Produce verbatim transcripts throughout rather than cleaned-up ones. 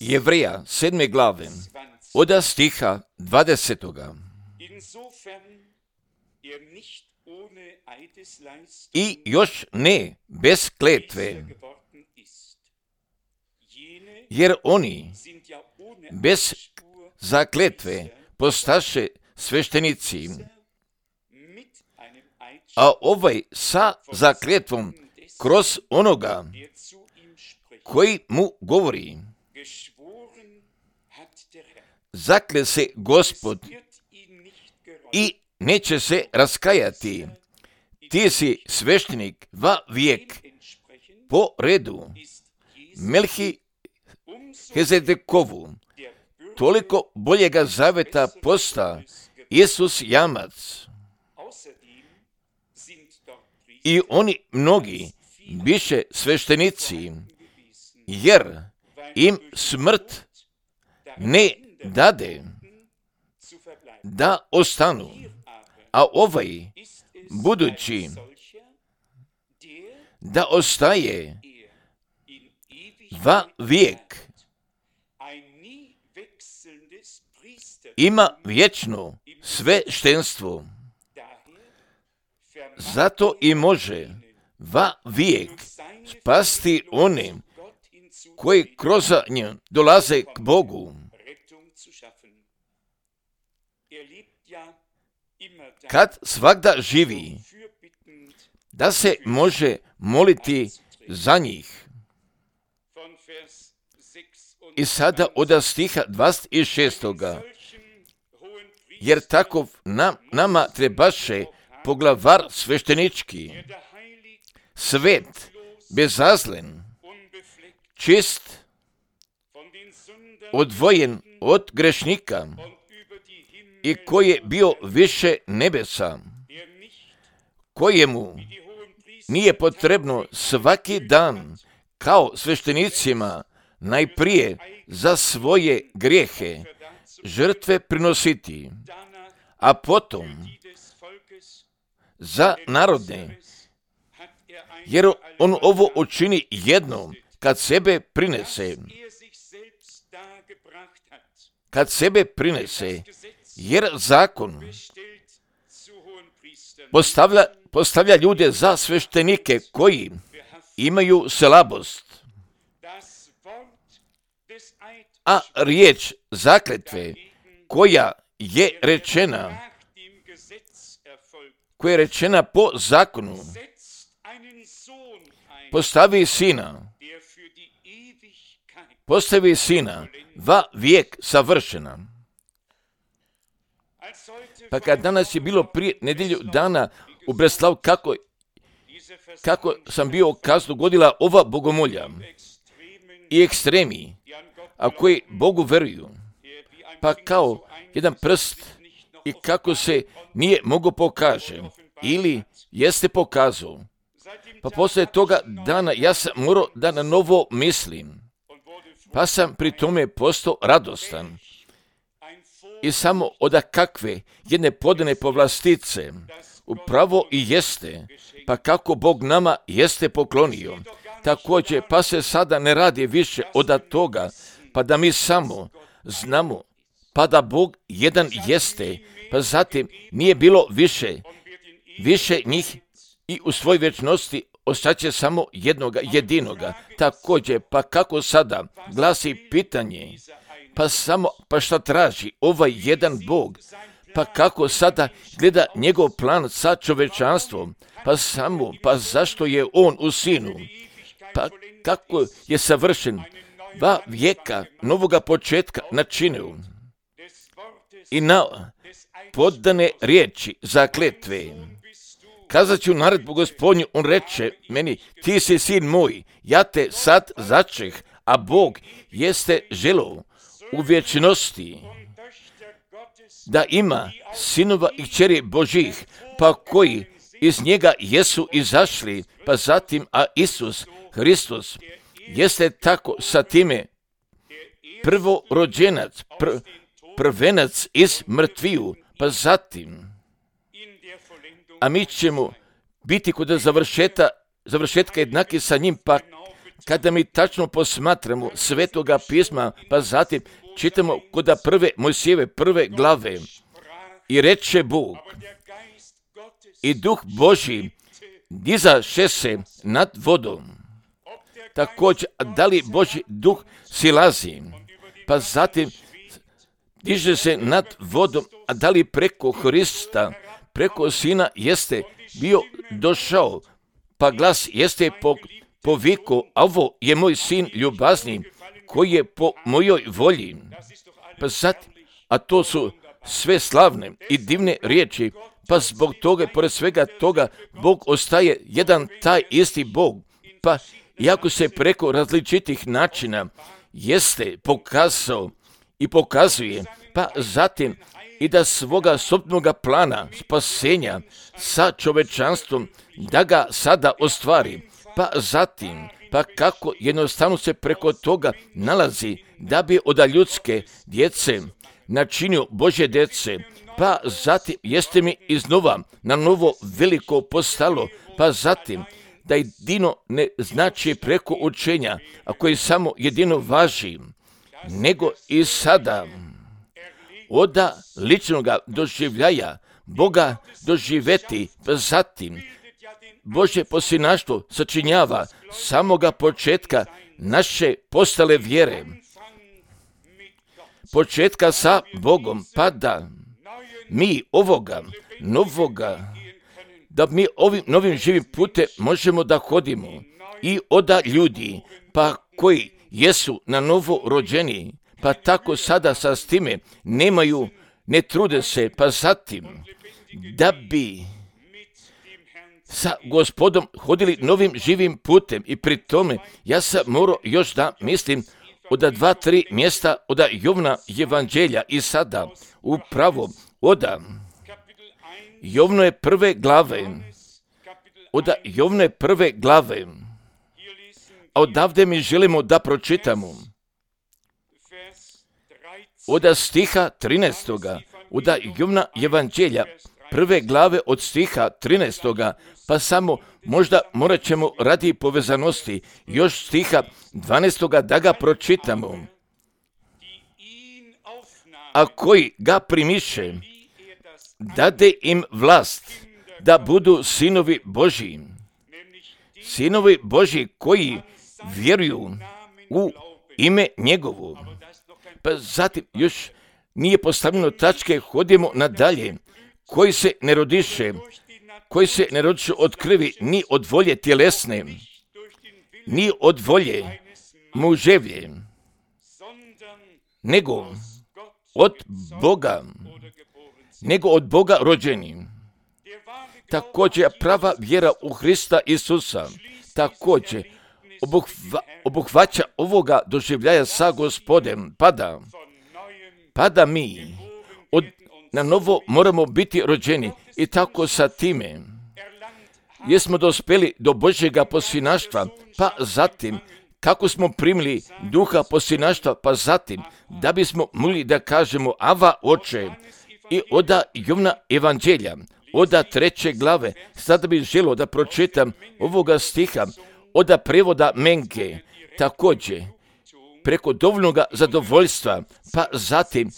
Jevreja sedme glave, od stiha dvadesetoga. I još ne bez kletve, jer oni bez zakletve postaše sveštenici, a ovaj sa zakletvom kroz onoga koji mu govori. Zakle se Gospod i neće se raskajati. Ti si sveštenik va vijek po redu Melhizedekovu. Toliko boljega zaveta posta Isus jamac. I oni mnogi biše sveštenici, jer im smrt ne dade da ostanu, a ovaj budući da ostaje va vijek, ima vječno sveštenstvo, zato i može va vijek spasti one koji kroz nju dolaze k Bogu. Kad svagda živi, da se može moliti za njih. I sada od stiha dvadeset šestoga. Jer takov nam, nama trebaše poglavar sveštenički, svet, bezazlen, čist, odvojen od grešnika i koji je bio više nebesa, kojemu nije potrebno svaki dan kao sveštenicima najprije za svoje grijehe žrtve prinositi, a potom za narodne, jer on ovo učini jednom kad sebe prinese. Kad sebe prinese, jer zakon postavlja, postavlja ljude za sveštenike koji imaju slabost. A riječ zakletve koja je rečena, koja je rečena po zakonu, postavi sina, postavi sina va vijek savršena. Pa kad danas je bilo prije nedjelju dana u Breslavu, kako, kako sam bio kaznu godila ova bogomolja i ekstremi, a koji Bogu veruju, pa kao jedan prst i kako se nije mogo pokaže, ili jeste pokazao. Pa poslije toga dana ja sam morao da na novo mislim, pa sam pri tome postao radostan. I samo od kakve jedne podane povlastice upravo i jeste, pa kako Bog nama jeste poklonio. Također, pa se sada ne radi više od toga, pa da mi samo znamo, pa da Bog jedan jeste, pa zatim nije bilo više, više njih i u svoj vječnosti ostaće samo jednoga jedinoga. Također, pa kako sada glasi pitanje, pa samo, pa šta traži ovaj jedan Bog, pa kako sada gleda njegov plan sa čovečanstvom, pa samo, pa zašto je on u sinu, pa kako je savršen, dva vijeka novoga početka načinio i na poddane riječi zakletve. Kazat ću naredbu Gospodnju, on reče meni, ti si sin moj, ja te sad začeh, a Bog jeste želeo u vječnosti da ima sinova i kćeri Božih, pa koji iz njega jesu izašli, pa zatim, a Isus Hristos jeste tako sa time prvorođenac, pr, prvenac iz mrtviju, pa zatim, a mi ćemo biti kod završeta, završetka jednaki sa njim, pa kada mi tačno posmatramo Svetoga pisma, pa zatim čitamo kod prve Mojsijeve prve glave, i reče Bog, i Duh Božji dizaše se nad vodom. Također, da li Božji Duh silazi, pa zatim diže se nad vodom, a da li preko Hrista, preko Sina jeste bio došao, pa glas jeste po, povikao, a ovo je moj sin ljubazni, koji je po mojoj volji. Pa zatim, a to su sve slavne i divne riječi, pa zbog toga, pored svega toga, Bog ostaje jedan taj isti Bog, pa iako se preko različitih načina jeste pokazao i pokazuje, pa zatim i da svoga sopnoga plana spasenja sa čovečanstvom, da ga sada ostvari, pa zatim, pa kako jednostavno se preko toga nalazi, da bi od ljudske djece načinio Božje djece, pa zatim jeste mi iznova na novo veliko postalo, pa zatim da jedino ne znači preko učenja, a koji samo jedino važi, nego i sada oda ličnoga doživljaja Boga doživeti, pa zatim Božje posljednaštvo sačinjava samoga početka naše postale vjere, početka sa Bogom, pa da mi ovoga novoga, da mi ovim novim živim putem možemo da hodimo i oda ljudi, pa koji jesu na novo rođeni, pa tako sada sa s time nemaju, ne trude se, pa zatim da bi sa Gospodom hodili novim živim putem. I pri tome ja sam morao još da mislim od dva, tri mjesta od Jovna evanđelja i sada upravo od Jovne prve glave, od Jovne prve glave, a odavde mi želimo da pročitamo od stiha trinaestoga, od Jovna evanđelja prve glave od stiha trinaestoga, pa samo možda morat ćemo radi povezanosti još stiha dvanaestoga da ga pročitamo. A koji ga primiše, dade im vlast da budu sinovi Božji. Sinovi Božji koji vjeruju u ime njegovo. Pa zatim još nije postavljeno tačke, hodimo nadalje. Koji se ne rodiše, koji se ne rodiše od krvi, ni od volje tjelesne, ni od volje muževlje, nego od Boga, nego od Boga rođeni. Također prava vjera u Hrista Isusa, također obuhva, obuhvaća ovoga doživljaja sa Gospodem, pada, pada mi od na novo moramo biti rođeni i tako sa time jesmo dospjeli do Božjega posljednaštva, pa zatim kako smo primili duha posljednaštva, pa zatim da bismo mogli da kažemo Ava Oče. I od Jovna evanđelja, od treće glave, sada bih želio da pročitam ovoga stiha od prevoda Menke, također preko dovoljnog zadovoljstva, pa zatim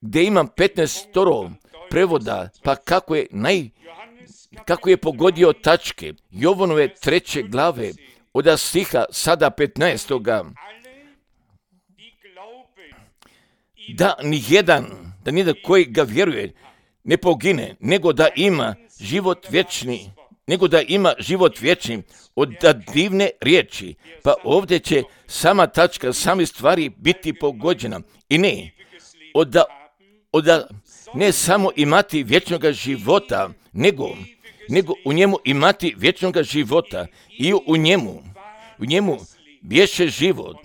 gdje imam petnaest prevoda, pa kako je naj, kako je pogodio tačke, Jovanove treće glave, od stiha sada petnaestoga da nijedan, da nijedan koji ga vjeruje ne pogine, nego da ima život vječni, nego da ima život vječni od divne riječi. Pa ovdje će sama tačka, sami stvari biti pogođena. I ne, od, od, ne samo imati vječnog života, nego, nego u njemu imati vječnog života i u njemu, u njemu bješe život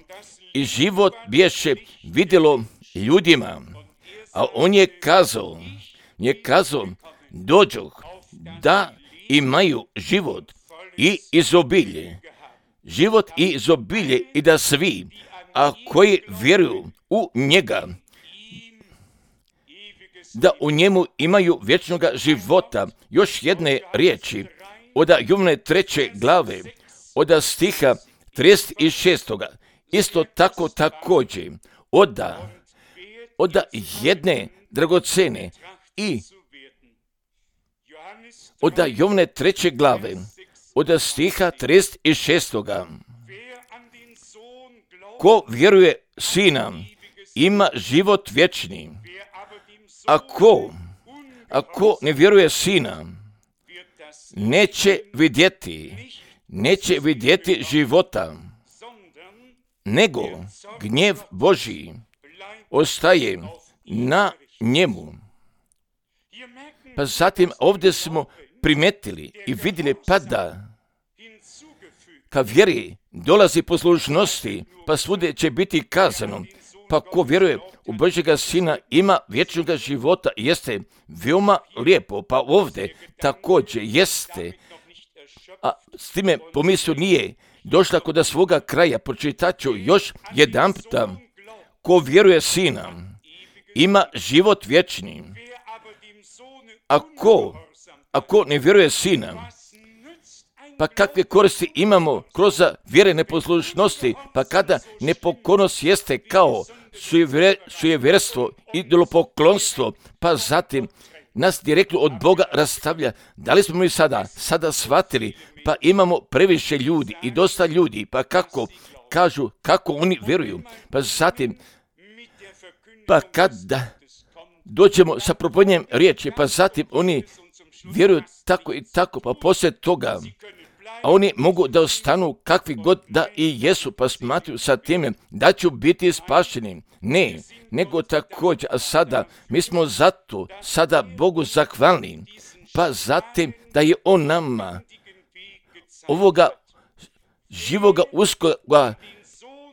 i život bješe vidjelo ljudima, a on je kazao, je kazao, dođoh da imaju život i izobilje, život i izobilje i da svi, a koji vjeruju u njega, da u njemu imaju vječnog života. Još jedne riječi od Jovne treće glave, od stiha trideset šest. Isto tako također oda, oda jedne dragocene i oda Jovne treće glave, oda stiha trideset šest. Ko vjeruje Sina, ima život vječni. Ako, ako ne vjeruje Sina, neće vidjeti, neće vidjeti života, nego gnjev Božji ostaje na njemu. Pa zatim ovdje smo primetili i vidjeli pa da ka vjeri dolazi poslušnosti, pa svude će biti kazano. Pa ko vjeruje u Božjega Sina ima vječnog života, jeste veoma lijepo. Pa ovdje također jeste, a s time pomisao nije došla kod svoga kraja. Pročitat ću još jedan puta. Ko vjeruje Sina ima život vječni. Ako, ako ne vjeruje Sina, pa kakve koristi imamo kroz vjere neposlušnosti, pa kada nepokornost jeste kao sujevjerstvo, idolopoklonstvo, pa zatim nas direktno od Boga rastavlja. Da li smo mi sada, sada shvatili, pa imamo previše ljudi i dosta ljudi, pa kako kažu, kako oni vjeruju, pa zatim, pa kada dođemo sa propovedanjem riječi, pa zatim oni vjeruju tako i tako, pa poslije toga, a oni mogu da ostanu kakvi god da i jesu, pa smatruju sa time da ću biti spašeni. Ne, nego također, a sada mi smo zato sada Bogu zahvalni, pa zatim da je On nama ovoga živoga uskoga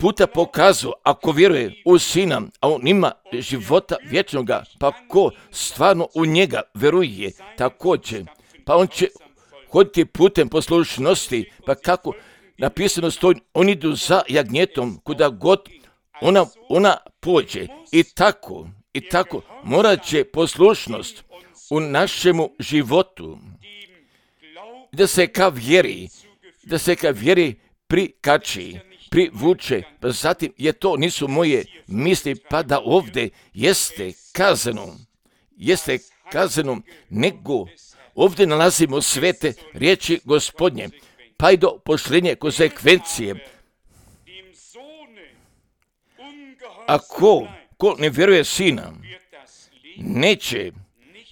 puta pokazao, ako vjeruje u Sina, a on ima života vječnoga, pa ko stvarno u njega vjeruje također, pa on će hoditi putem poslušnosti, pa kako napisano stoji, oni idu za jagnjetom, kuda god ona, ona pođe. I tako, i tako, morat će poslušnost u našemu životu, da se ka vjeri, da se ka vjeri prikači, privuče, pa zatim je to nisu moje misli, pa da ovdje jeste kazano, jeste kazano, nego ovdje nalazimo svete riječi Gospodnje, pa i do pošlenje konsekvencije. Ako ko ne vjeruje Sina, neće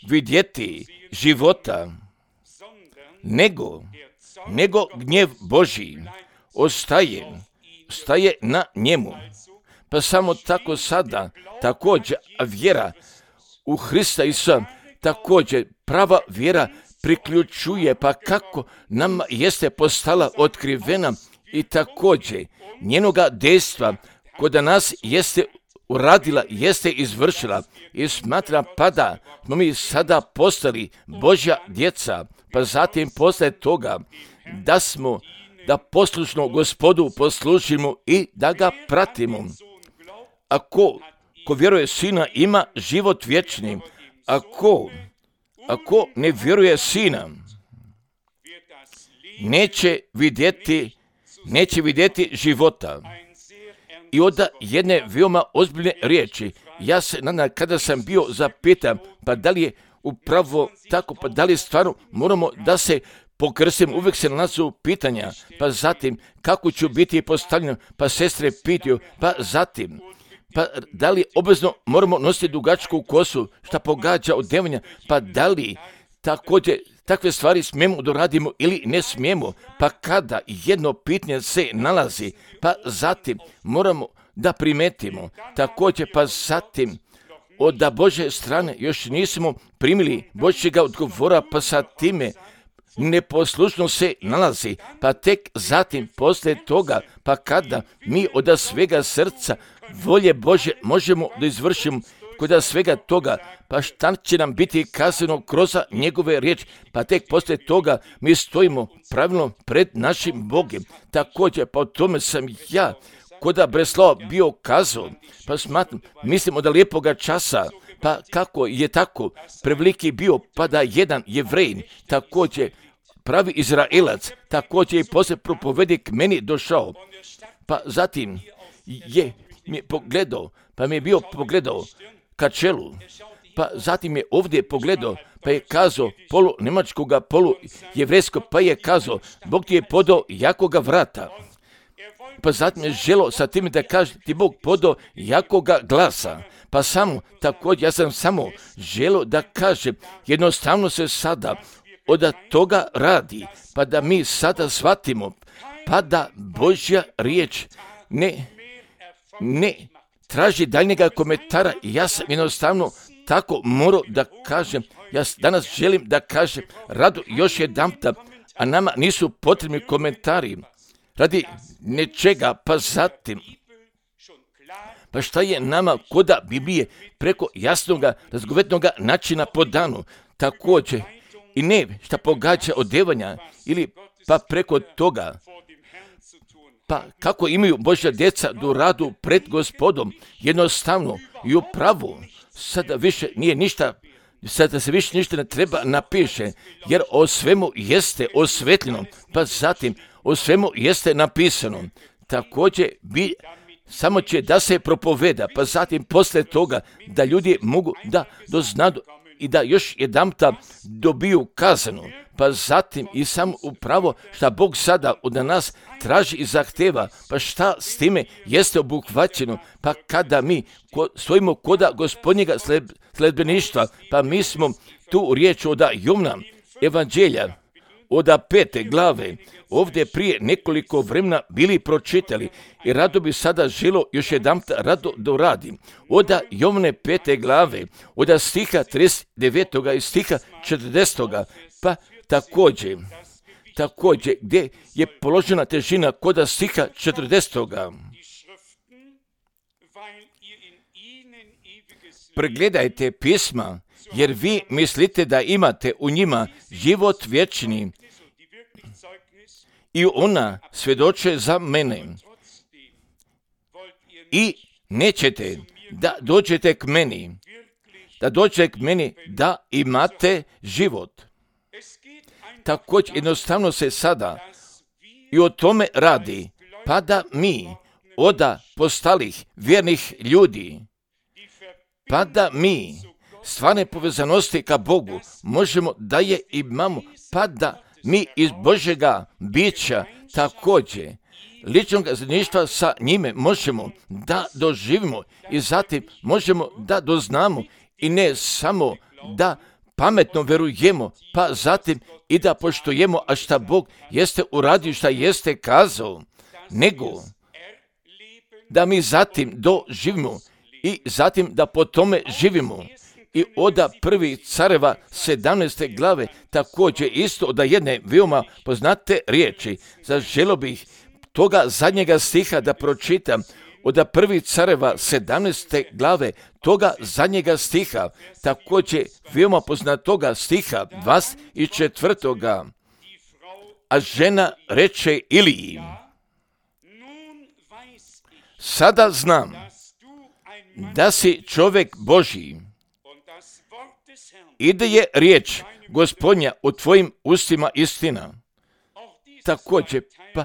vidjeti života, nego, nego gnjev Božji ostaje, ostaje na njemu. Pa samo tako sada, također vjera u Hrista Isusa, također prava vjera priključuje, pa kako nam jeste postala otkrivena i također njenoga dejstva kod nas jeste uradila, jeste izvršila i smatra pa da smo mi sada postali Božja djeca, pa zatim posle toga da smo, da poslušno Gospodu poslušimo i da ga pratimo. Ako ko vjeruje Sina ima život vječni, ako, ako ne vjeruje Sina, neće vidjeti, neće vidjeti života. I onda jedne veoma ozbiljne riječi. Ja se nadam kada sam bio zapitan, pa da li je upravo tako, pa da li stvarno moramo da se pokrstim, uvijek se nalazu pitanja, pa zatim kako ću biti postavljen, pa sestre pitaju, pa zatim, pa da li obvezno moramo nositi dugačku kosu, šta pogađa od devanja, pa da li također takve stvari smijemo da radimo ili ne smijemo, pa kada jedno pitanje se nalazi, pa zatim moramo da primetimo, također pa zatim od da Božje strane još nismo primili Božjega odgovora, pa sa time neposlušno se nalazi, pa tek zatim poslije toga, pa kada mi od svega srca volje Bože možemo da izvršimo kod svega toga, pa šta će nam biti kazano kroz njegove riječi, pa tek poslije toga mi stojimo pravilno pred našim Bogom. Također, pa o tome sam ja kod Breslava bio kazao, pa smatram, mislim od lijepoga časa, pa kako je tako preveliki bio, pa da jedan Jevrej također pravi Izraelac, također i poslije propovedi k meni došao. Pa zatim je mi pogledao, pa mi je bio pogledao ka čelu, pa zatim je ovdje pogledao, pa je kazao polu njemačkoga, polu jevrejskog, pa je kazao, Bog ti je podao jakoga vrata. Pa zatim je želo sa tim da kaže, ti Bog podao jakoga glasa. Pa samo, također, ja sam samo želo da kažem, jednostavno se sada od toga radi, pa da mi sada shvatimo, pa da Božja riječ ne, ne traži daljnjega komentara. Ja sam jednostavno tako morao da kažem, ja danas želim da kažem rado još jedanputa, a nama nisu potrebni komentari radi nečega, pa zatim, pa šta je nama koda Biblije preko jasnoga, razgovetnoga načina po danu, također i ne šta pogađa odevanja ili pa preko toga, pa kako imaju Božja djeca do radu pred Gospodom, jednostavno i u pravu, sada više nije ništa, sada se više ništa ne treba napiše, jer o svemu jeste osvetljeno, pa zatim o svemu jeste napisano. Također bi samo će da se propoveda, pa zatim posle toga da ljudi mogu da doznadu i da još jedanputa dobiju kazanu, pa zatim i samo upravo šta Bog sada od nas traži i zahteva, pa šta s time jeste obuhvaćeno, pa kada mi ko, stojimo koda Gospodnjega sled, sledbeništva, pa mi smo tu riječ od Jovna evanđelja, od pete glave, ovdje prije nekoliko vremena bili pročitali i rado bi sada želo još jedanput rado doradim. Od Jovne pete glave, od stiha trideset devetog i stiha četrdesetog, pa također, također gdje je položena težina kod stiha četrdesetog. Pregledajte pisma, jer vi mislite da imate u njima život vječni i ona svjedoče za mene. I nećete da dođete k meni, da dođete k meni da imate život. Također jednostavno se sada i o tome radi, pa da mi od postalih vjernih ljudi, pa da mi stvarne povezanosti ka Bogu možemo da je imamo, pa da mi iz Božjega bića također ličnog zajedništva sa njime možemo da doživimo i zatim možemo da doznamo i ne samo da pametno verujemo, pa zatim i da poštujemo, a šta Bog jeste uradio, šta jeste kazao, nego da mi zatim doživimo i zatim da po tome živimo. I od prvi careva sedamnaeste glave također isto od jedne veoma poznate riječi. Zaželio bih toga zadnjega stiha da pročitam od prvi careva sedamnaeste glave, toga zadnjega stiha, također veoma poznatoga stiha dvadeset četvrtoga. A žena reče Iliji, sada znam da si čovjek Božji i da je riječ Gospodnja u tvojim ustima istina. Također, pa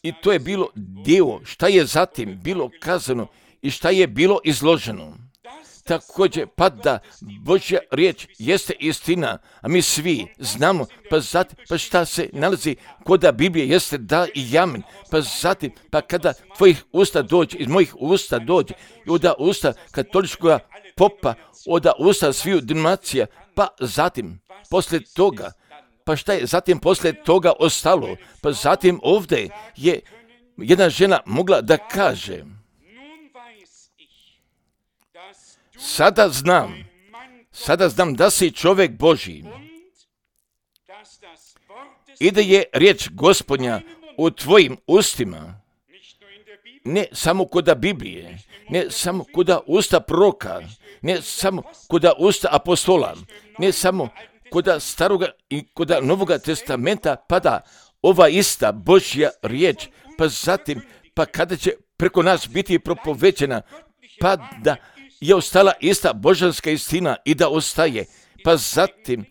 i to je bilo dio šta je zatim bilo kazano i šta je bilo izloženo. Također, pa da Božja riječ jeste istina, a mi svi znamo, pa zatim, pa šta se nalazi kod Biblije jeste da i amen, pa zatim, pa kada tvojih usta dođe, iz mojih usta dođe, i od usta katoličkoga popa, od usta sviju denominacija, pa zatim, posle toga, pa šta je zatim posle toga ostalo, pa zatim ovdje je jedna žena mogla da kaže, sada znam, sada znam da si čovjek Božji i da je riječ Gospodnja u tvojim ustima, ne samo kod Biblije, ne samo kod usta proroka, ne samo kod usta apostola, ne samo kod staroga i kod novoga testamenta, pa da ova ista Božja riječ, pa zatim, pa kada će preko nas biti propovećena, pa da je ostala ista božanska istina i da ostaje, pa zatim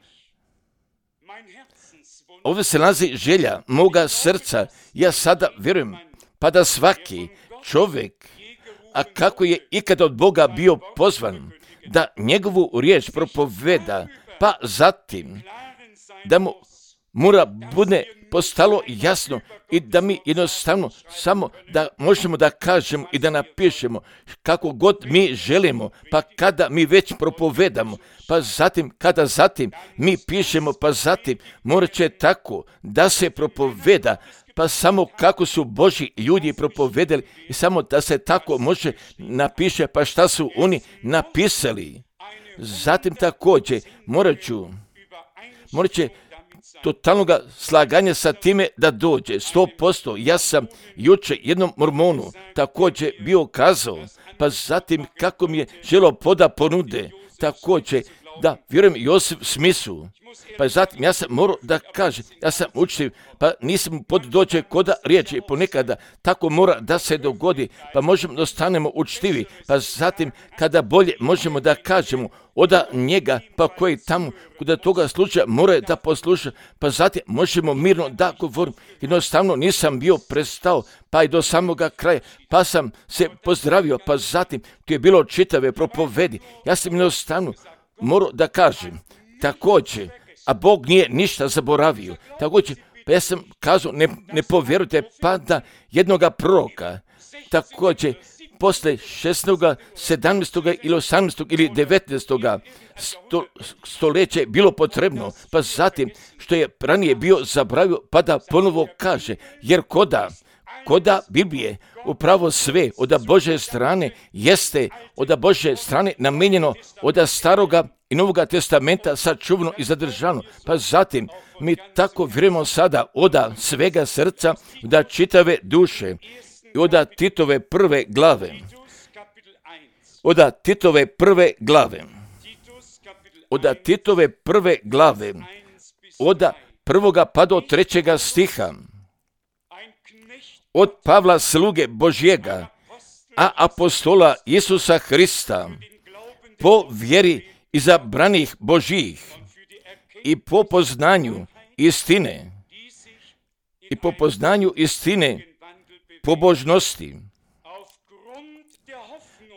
ovdje se nalazi želja moga srca. Ja sada vjerujem, pa da svaki čovjek, a kako je ikada od Boga bio pozvan, da njegovu riječ propoveda, pa zatim da mu mora bude postalo jasno i da mi jednostavno samo da možemo da kažemo i da napišemo kako god mi želimo, pa kada mi već propovedamo, pa zatim kada zatim mi pišemo, pa zatim morat će tako da se propoveda, pa samo kako su Božji ljudi propovedali i samo da se tako može napiše, pa šta su oni napisali. Zatim također morat ću, morat će totalnog slaganja sa time da dođe. sto posto ja sam jučer jednom mormonu također bio kazao, pa zatim kako mi je želo poda ponude, također da vjerujem Josip Smithu, pa zatim ja sam morao da kažem, ja sam učitelj, pa nisam pod dođe koda riječi, ponekada tako mora da se dogodi, pa možemo da stanemo učtivi, pa zatim kada bolje možemo da kažemo oda njega, pa koji tamo kuda toga slučaja mora da posluša, pa zatim možemo mirno da govorim. Jednostavno nisam bio prestao, pa i do samoga kraja, pa sam se pozdravio, pa zatim tu je bilo čitave propovedi. Ja sam jednostavno morao da kažem, također, a Bog nije ništa zaboravio. Također, pa ja sam kazao, ne, ne povjerujte pa da jednoga proroka, također, posle šesnaestoga, sedamnaestoga ili osamnaestoga ili devetnaestoga sto, stoljeća bilo potrebno, pa zatim što je ranije bio zaboravio, pa da ponovo kaže, jer koda, koda Biblije upravo sve od Božje strane jeste od Božje strane namenjeno od staroga i Novoga testamenta sačuvano i zadržano. Pa zatim mi tako vjerujemo sada od svega srca, da čitave duše i od Titove prve glave, od Titove prve glave, od Titove prve glave, od prvoga pa do trećega stiha, od Pavla sluge Božjega, a apostola Isusa Hrista, po vjeri izabranih Božjih i po poznanju istine, i po poznanju istine pobožnosti,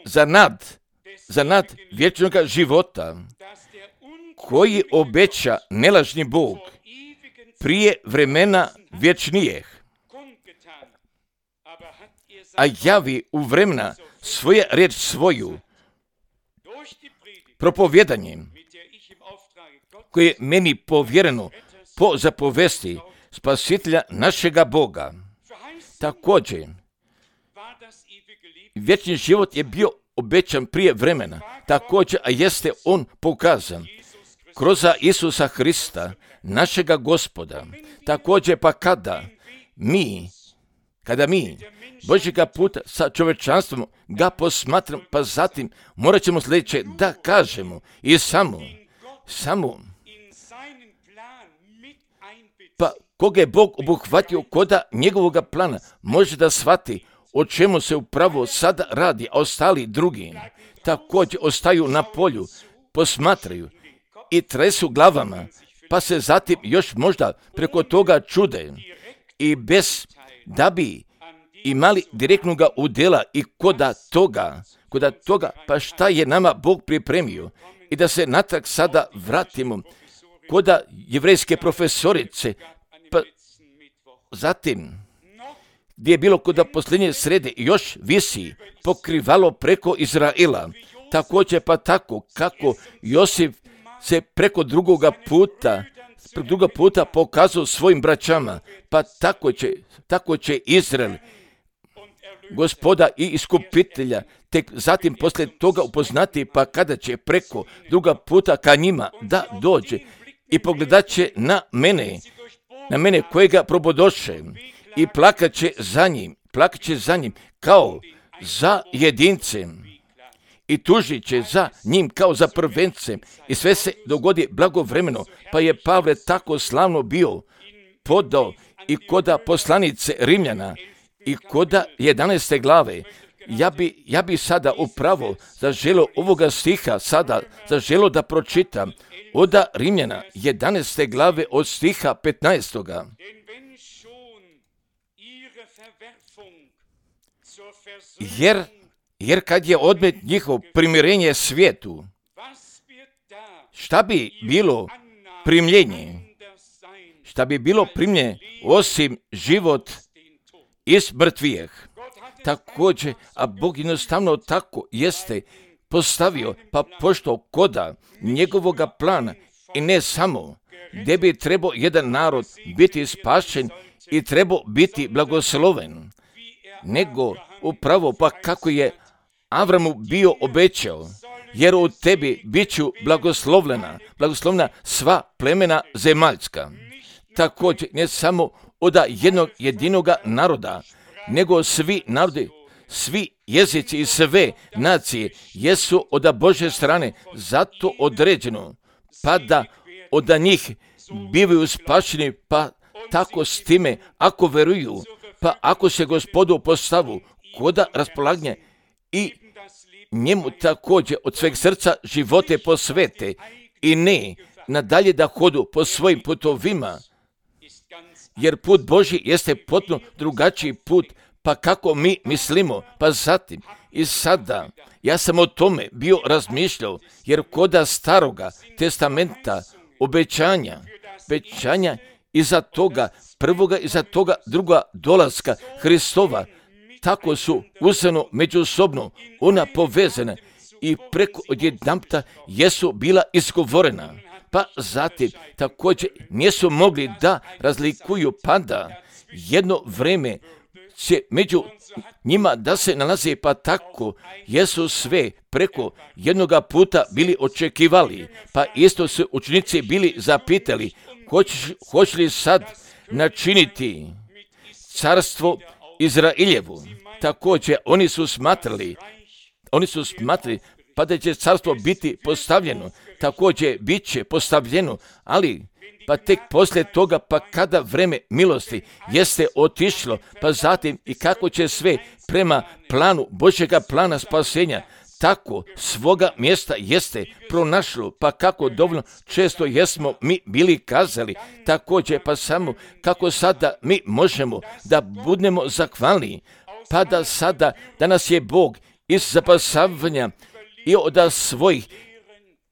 za nad, za nad vječnog života, koji obeća nelažni Bog prije vremena vječnijeg, a javi u vremena svoje riječ svoju, propovjedanjem, koje je meni povjereno po zapovesti Spasitelja našega Boga. Također, vječni život je bio obećan prije vremena, također, a jeste on pokazan kroz Isusa Hrista, našega Gospoda. Također, pa kada mi, kada mi Božjega puta sa čovječanstvom ga posmatram, pa zatim morat ćemo sljedeće da kažemo i samo, samo, pa koga je Bog obuhvatio koda njegovoga plana, može da shvati o čemu se upravo sada radi, a ostali drugi također ostaju na polju, posmatraju i tresu glavama, pa se zatim još možda preko toga čude i bez da bi imali direktnog udjela i koda toga, koda toga, pa šta je nama Bog pripremio. I da se natrag sada vratimo koda jevrejske profesorice, pa zatim gdje je bilo koda posljednje srede još visi pokrivalo preko Izraela, također pa tako kako Josif se preko drugoga puta, druga puta pokazao svojim braćama, pa tako će, tako će Izrael, Gospoda i iskupitelja, tek zatim poslije toga upoznati, pa kada će preko druga puta ka njima da dođe i pogledat će na mene, na mene kojega probodoše i plakat će za njim, plakat će za njim kao za jedincem i tužit će za njim kao za prvencem i sve se dogodi blagovremeno, pa je Pavle tako slavno bio podao i koda poslanice Rimljana i koda jedanaeste glave, Ja bi, ja bi sada upravo zaželo ovoga stiha sada zaželo da pročitam od Rimljana jedanaeste glave od stiha petnaestoga. Jer, jer kad je odmet njihov primirenje svijetu, šta bi bilo primljenje? Šta bi bilo primljenje osim život iz mrtvijeh? Također, a Bog jednostavno tako jeste postavio, pa pošto koda njegovoga plana i ne samo gdje bi trebao jedan narod biti spašen i trebao biti blagosloven, nego upravo pa kako je Avramu bio obećao, jer u tebi bit ću blagoslovljena, blagoslovna sva plemena zemaljska. Također, ne samo od jednog jedinoga naroda, nego svi narodi, svi jezici i sve nacije jesu od Božje strane zato određeno, pa da od njih bivaju spašeni, pa tako s time, ako veruju, pa ako se Gospodu postavu koda raspolaganje i njemu također od sveg srca živote posvete i ne nadalje da hodu po svojim putovima, jer put Božji jeste potpuno drugačiji put, pa kako mi mislimo, pa zatim i sada ja sam o tome bio razmišljao, jer koda staroga testamenta obećanja, obećanja iza toga prvoga, iza toga druga dolaska Hristova, tako su uzeno međusobno ona povezana i preko odjedanputa jesu bila izgovorena. Pa zatim također nisu mogli da razlikuju, pa da jedno vreme će među njima da se nalazi, pa tako jesu sve preko jednoga puta bili očekivali, pa isto su učenici bili zapitali, hoćeš, hoće li sad načiniti carstvo Izraeljevu? Također oni su smatrali, oni su smatrali pa da će carstvo biti postavljeno, također bit će postavljeno, ali pa tek poslije toga, pa kada vreme milosti jeste otišlo, pa zatim i kako će sve prema planu Božjega plana spasenja, tako svoga mjesta jeste pronašlo, pa kako dovoljno često jesmo mi bili kazali, također pa samo kako sada mi možemo da budemo zahvalni, pa da sada, da nas je Bog iz zapasavanja i od svojih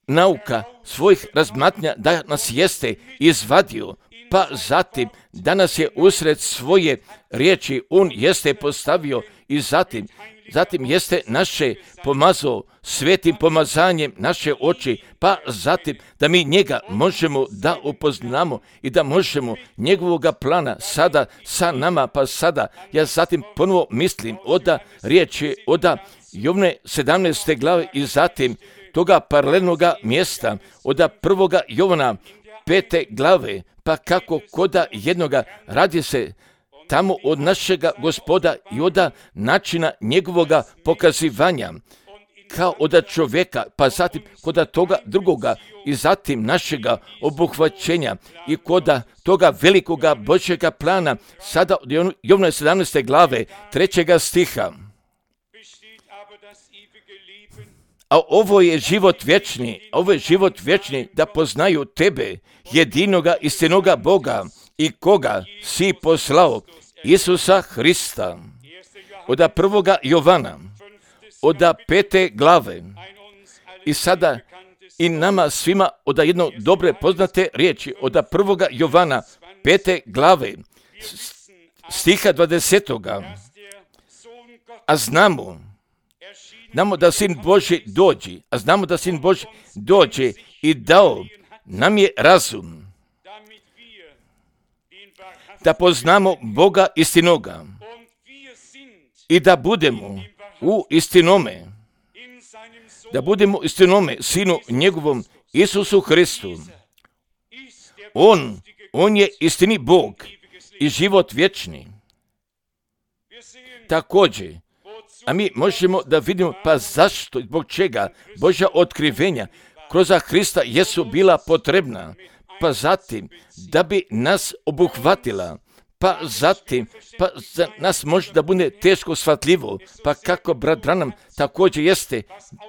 nauka, svojih razmatranja da nas jeste izvadio, pa zatim da nas je usred svoje riječi on jeste postavio i zatim, zatim jeste naše pomazao svetim pomazanjem naše oči, pa zatim da mi njega možemo da upoznamo i da možemo njegovoga plana sada sa nama, pa sada ja zatim ponovo mislim oda riječi oda Jovne sedamnaeste glave i zatim toga paralelnoga mjesta od prvoga Jovana pete glave, pa kako koda jednoga radi se tamo od našega Gospoda i od načina njegovoga pokazivanja kao od čovjeka, pa zatim koda toga drugoga i zatim našega obuhvaćenja i koda toga velikoga Božjega plana sada od Jovne sedamnaeste glave trećega stiha. A ovo je život vječni, ovo je život vječni da poznaju tebe, jedinoga istinoga Boga i koga si poslao, Isusa Hrista. Od prvoga Jovana, od pete glave. I sada i nama svima od jedno dobre poznate riječi, od prvoga Jovana, pete glave, stiha dvadesetoga. A znamo, Znamo da Sin Božji dođe, a znamo da Sin Božji dođe i dao nam je razum da poznamo Boga istinoga i da budemo u istinome, da budemo istinome Sinu njegovom Isusu Hristu. On, on je istini Bog i život vječni. Također, a mi možemo da vidimo pa zašto i zbog čega Božja otkrivenja kroz Hrista jesu bila potrebna, pa zatim da bi nas obuhvatila, pa zatim, pa za nas može da bude teško shvatljivo, pa kako brat Branham također jeste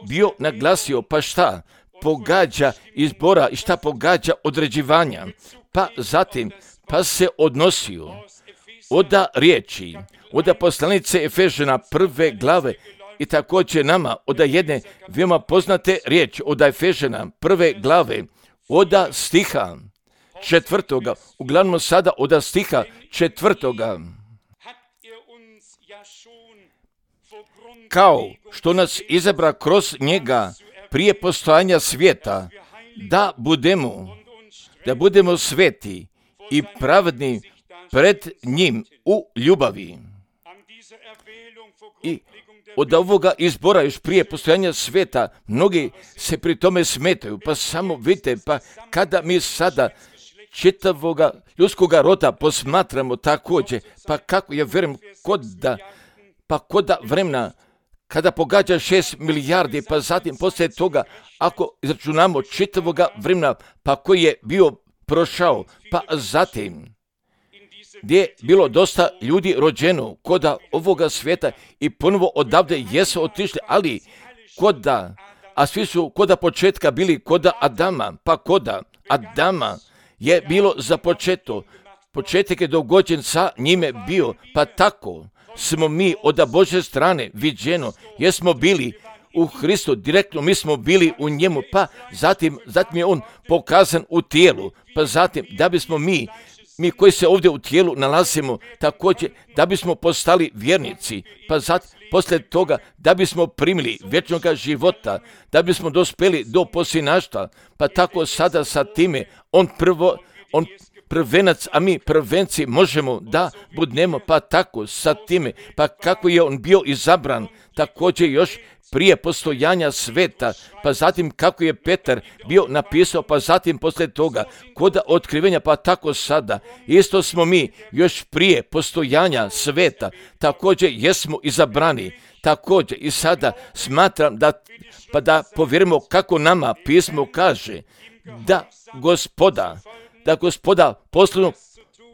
bio naglasio, pa šta pogađa izbora i šta pogađa određivanja, pa zatim, pa se odnosio oda riječi, oda poslanice Efežana prve glave i također nama oda jedne veoma poznate riječi, oda Efežana prve glave, oda stiha četvrtoga, uglavnom sada oda stiha četvrtoga. Kao što nas izabra kroz njega prije postojanja svijeta, da budemo, da budemo sveti i pravedni pred njim u ljubavi. I od ovoga izbora još prije postojanja svijeta, mnogi se pri tome smetaju, pa samo vidite, pa kada mi sada čitavoga ljudskoga roda posmatramo također, pa kako ja vjerujem kod da, pa kod da vremena, kada pogađa šest milijardi, pa zatim poslije toga, ako izračunamo čitavoga vremena, pa koji je bio prošao, pa zatim, gdje je bilo dosta ljudi rođeno koda ovoga svijeta i ponovo odavde jesu otišli, ali koda, a svi su koda početka bili koda Adama, pa koda Adama je bilo započeto, početak je dogođen sa njime bio, pa tako smo mi od Božje strane viđeno, jer smo bili u Hristu, direktno mi smo bili u njemu, pa zatim, zatim je on pokazan u tijelu, pa zatim da bismo mi, mi koji se ovdje u tijelu nalazimo, također da bismo postali vjernici, pa zatim poslije toga da bismo primili vječnoga života, da bismo dospeli do posinaštva, pa tako sada sa time on prvo, on prvenac, a mi prvenci možemo da budemo, pa tako sa time, pa kako je on bio izabran, također još prije postojanja sveta, pa zatim kako je Petar bio napisao, pa zatim poslije toga kod otkrivenja, pa tako sada, isto smo mi još prije postojanja sveta, također jesmo izabrani, također i sada smatram da, pa da povjerimo kako nama pismo kaže, da gospoda, da gospoda poslovno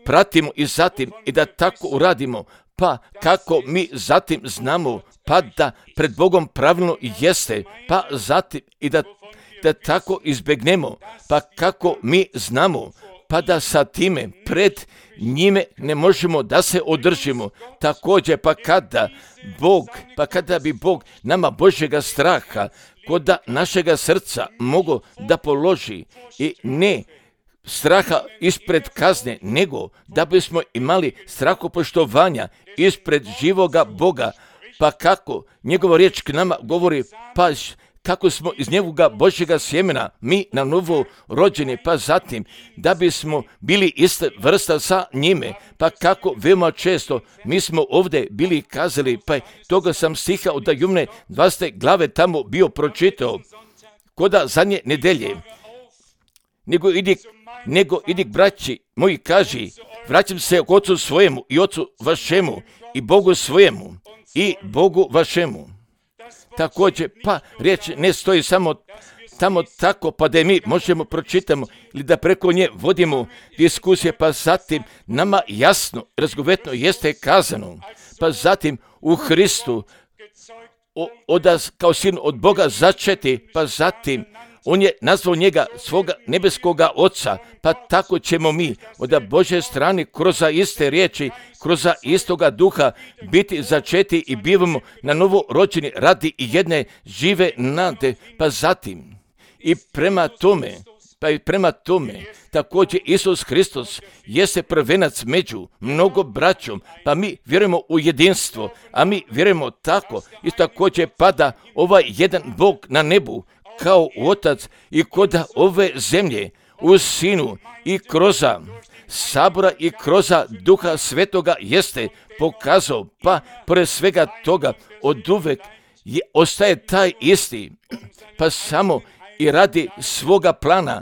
pratimo i zatim i da tako uradimo, pa kako mi zatim znamo, pa da pred Bogom pravilno jeste, pa zatim i da, da tako izbjegnemo, pa kako mi znamo, pa da sa time pred njime ne možemo da se održimo. Također, pa kada Bog, pa kada bi Bog nama Božjega straha kod našega srca mogo da položi i ne straha ispred kazne, nego da bismo imali strahopoštovanja ispred živoga Boga, pa kako njegova riječ k nama govori, pa kako smo iz njegovoga Božjega sjemena, mi na novo rođeni, pa zatim da bismo bili iste vrsta sa njime, pa kako veoma često mi smo ovdje bili kazali, pa toga sam stiha od Jumne dvadesete glave tamo bio pročitao, koda zadnje nedelje, nego idi, nego idi braći moji kaži, vraćam se k ocu svojemu i ocu vašemu i Bogu svojemu i Bogu vašemu. Također, pa riječ ne stoji samo tamo tako, pa da mi možemo pročitamo ili da preko nje vodimo diskusije, pa zatim nama jasno, razgovetno jeste kazano, pa zatim u Hristu od, kao sin od Boga začeti, pa zatim on je nazvao njega svoga nebeskoga oca, pa tako ćemo mi od Božje strane kroz iste riječi, kroz istoga duha biti začeti i bivamo na novo rođeni radi jedne žive nade, pa zatim i prema tome, pa i prema tome, također Isus Hristos jeste prvenac među mnogo braćom, pa mi vjerujemo u jedinstvo, a mi vjerujemo tako i također pada ovaj jedan Bog na nebu, kao otac i koda ove zemlje u sinu i kroza sabora i kroza duha svetoga jeste pokazao, pa pored svega toga oduvek je, ostaje taj isti, pa samo i radi svoga plana,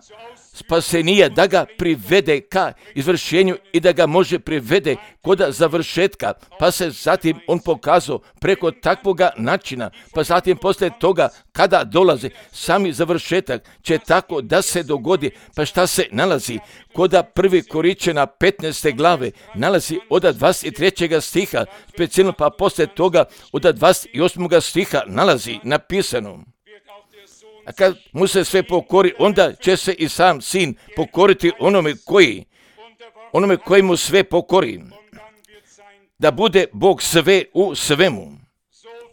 spasenija, da ga privede ka izvršenju i da ga može privede kod završetka, pa se zatim on pokazao preko takvoga načina, pa zatim poslije toga kada dolazi sami završetak će tako da se dogodi. Pa šta se nalazi? Koda prvi Koričana petnaeste glave nalazi od dvadeset trećeg stiha, specijalno pa poslije toga od dvadeset osmog stiha nalazi napisano. A kad mu se sve pokori, onda će se i sam sin pokoriti onome koji, onome koji mu sve pokori. Da bude Bog sve u svemu.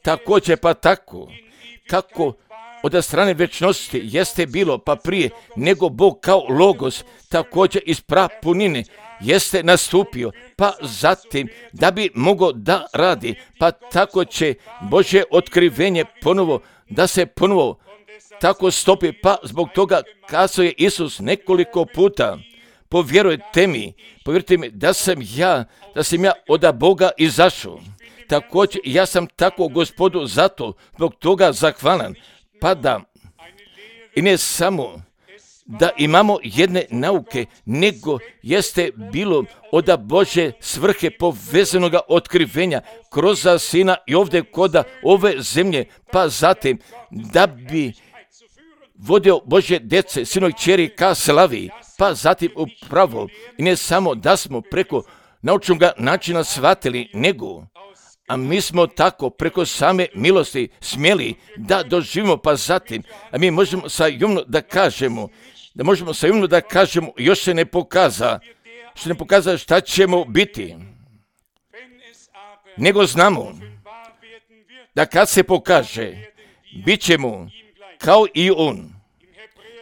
Također pa tako, kako od strane večnosti jeste bilo pa prije, nego Bog kao logos, također iz prapunine jeste nastupio, pa zatim da bi mogao da radi, pa tako će Božje otkrivenje ponovo, da se ponovo tako stopi, pa zbog toga kazao je Isus nekoliko puta, povjerujte mi, povjerujte mi da sam ja, da sam ja od Boga izašao. Također ja sam tako Gospodu zato, zbog toga zahvalan, pa da i ne samo da imamo jedne nauke, nego jeste bilo od Božje svrhe povezanoga otkrivenja kroz Sina i ovdje koda ove zemlje, pa zatim da bi vodio Božje djece, sinovi i kćeri ka slavi, pa zatim upravo i ne samo da smo preko naučnog načina shvatili, nego a mi smo tako preko same milosti smjeli da doživimo, pa zatim, a mi možemo sa jumno da kažemo, da možemo sa jumno da kažemo, još se ne pokaza, što ne pokaza šta ćemo biti, nego znamo da kad se pokaže, bit ćemo kao i on.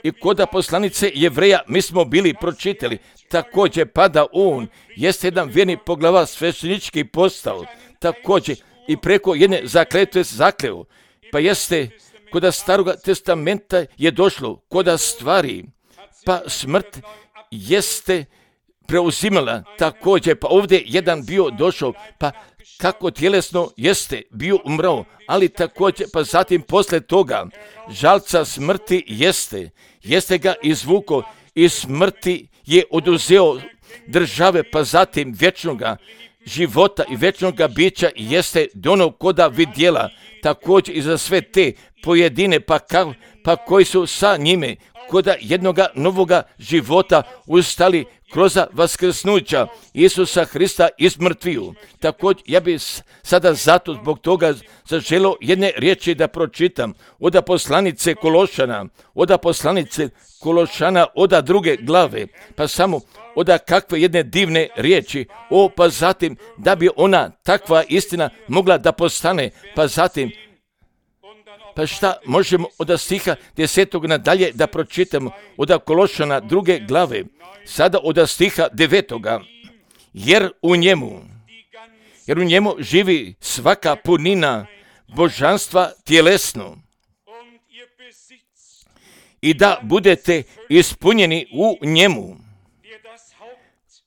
I kod poslanice Jevreja mi smo bili pročitali, također pa da on jeste jedan vjerni poglavar sveštenički postao, također i preko jedne zakletve zakleo, pa jeste kod Staroga testamenta je došlo kod stvari, pa smrt jeste preuzimala, također pa ovdje jedan bio došao, pa kako tjelesno jeste bio umrao, ali također pa zatim poslije toga žalca smrti jeste, jeste ga izvuko i smrti je oduzeo države, pa zatim vječnoga života i vječnoga bića jeste dono koda vidjela, također i za sve te pojedine pa, ka, pa koji su sa njime koda jednoga novoga života ustali kroz vaskrsnuća Isusa Hrista iz mrtviju. Također ja bih sada zato zbog toga zaželio jedne riječi da pročitam od poslanice Kološana, od poslanice Kološana od druge glave, pa samo od kakve jedne divne riječi, o pa zatim da bi ona takva istina mogla da postane, pa zatim pa šta možemo od stiha desetog nadalje da pročitamo od Kološana druge glave, sada od stiha devetoga, jer u njemu, jer u njemu živi svaka punina božanstva tjelesno i da budete ispunjeni u njemu,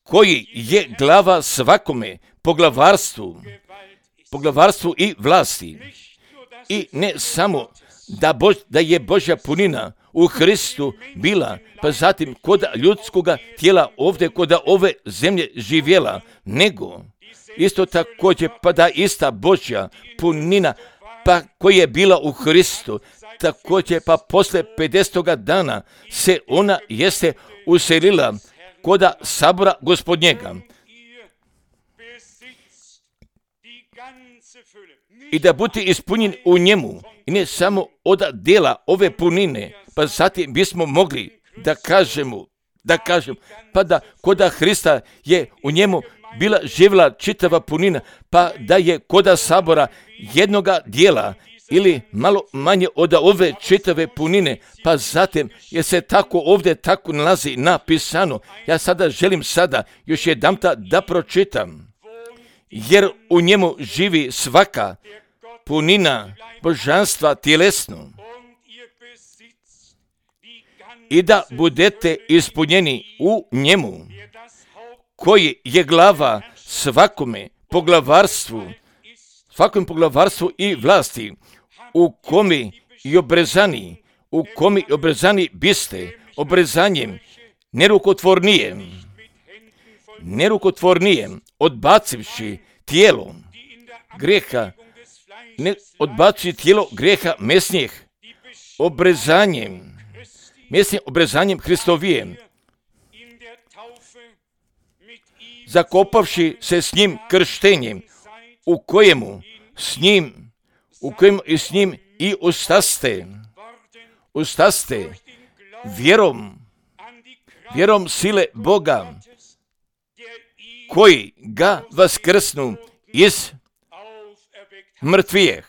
koji je glava svakome poglavarstvu, poglavarstvu i vlasti. I ne samo da, Bož, da je Božja punina u Hristu bila, pa zatim kod ljudskoga tijela ovdje kod ove zemlje živjela, nego isto također pa da ista Božja punina pa koja je bila u Hristu, također pa posle pedesetoga dana se ona jeste uselila koda sabora Gospodnjega. I da budete ispunjeni u njemu, i ne samo od dela ove punine, pa zatim bismo mogli da kažemo, da kažemo, pa da koda Hrista je u njemu bila živjela čitava punina, pa da je koda sabora jednoga dijela ili malo manje od ove čitave punine, pa zatim je se tako ovdje tako nalazi napisano. Ja sada želim sada još jedanputa da pročitam, jer u njemu živi svaka punina božanstva tjelesno i da budete ispunjeni u njemu, koji je glava svakome poglavarstvu, svakom poglavarstvu i vlasti, u komi i obrezani, u komi i obrezani biste, obrezanjem nerukotvornije, nerukotvornije, odbacivši tijelo grijeha, ne odbaci tijelo grijeha mesnijeh, obrezanjem, mesnijim obrezanjem Hristovijem, zakopavši se s njim krštenjem, u kojemu s njim, u kojemu i s njim i ustaste, ustaste vjerom, vjerom sile Boga, koji ga vaskrsnu iz mrtvijeh.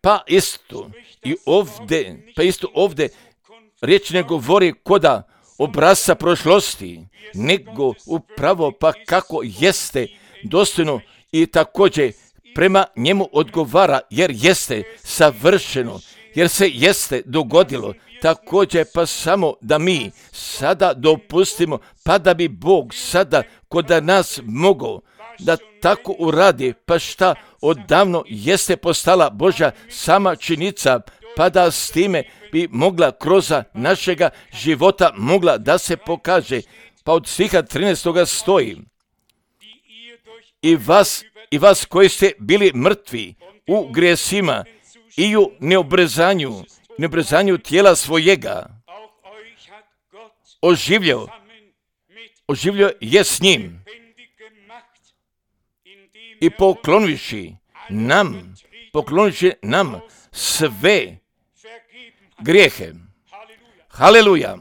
Pa isto i ovdje, pa isto ovdje riječ ne govori koda obrasca prošlosti, nego upravo pa kako jeste dostojno i također prema njemu odgovara, jer jeste savršeno, jer se jeste dogodilo. Također pa samo da mi sada dopustimo, pa da bi Bog sada kod nas mogao da tako uradi, pa šta odavno jeste postala Božja sama činjenica, pa da s time bi mogla kroz našega života mogla da se pokaže. Pa od stiha trinaestoga stoji: I vas, i vas koji ste bili mrtvi u grijesima i u neobrezanju, neobrezanju tijela svojega, oživljio, oživljio je s njim i poklonivši nam, poklonivši nam sve grijehe. Haleluja.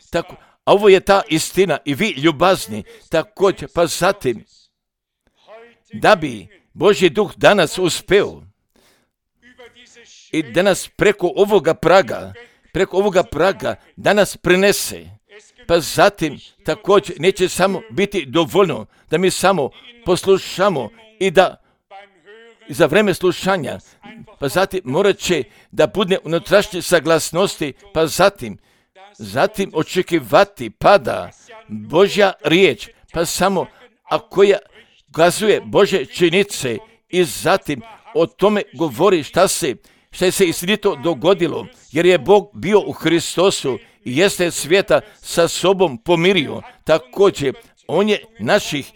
Tako, a ovo je ta istina i vi ljubazni također, pa zatim da bi Božji duh danas uspeo i danas preko ovoga praga, preko ovoga praga danas prenese, pa zatim također neće samo biti dovoljno da mi samo poslušamo i da za vreme slušanja, pa zatim morat će da bude unutrašnje saglasnosti, pa zatim, zatim očekivati pada Božja riječ, pa samo a koja ukazuje Božje činjenice i zatim o tome govori šta se, šta je se istinito dogodilo, jer je Bog bio u Hristosu i jeste svijeta sa sobom pomirio. Također, on je naših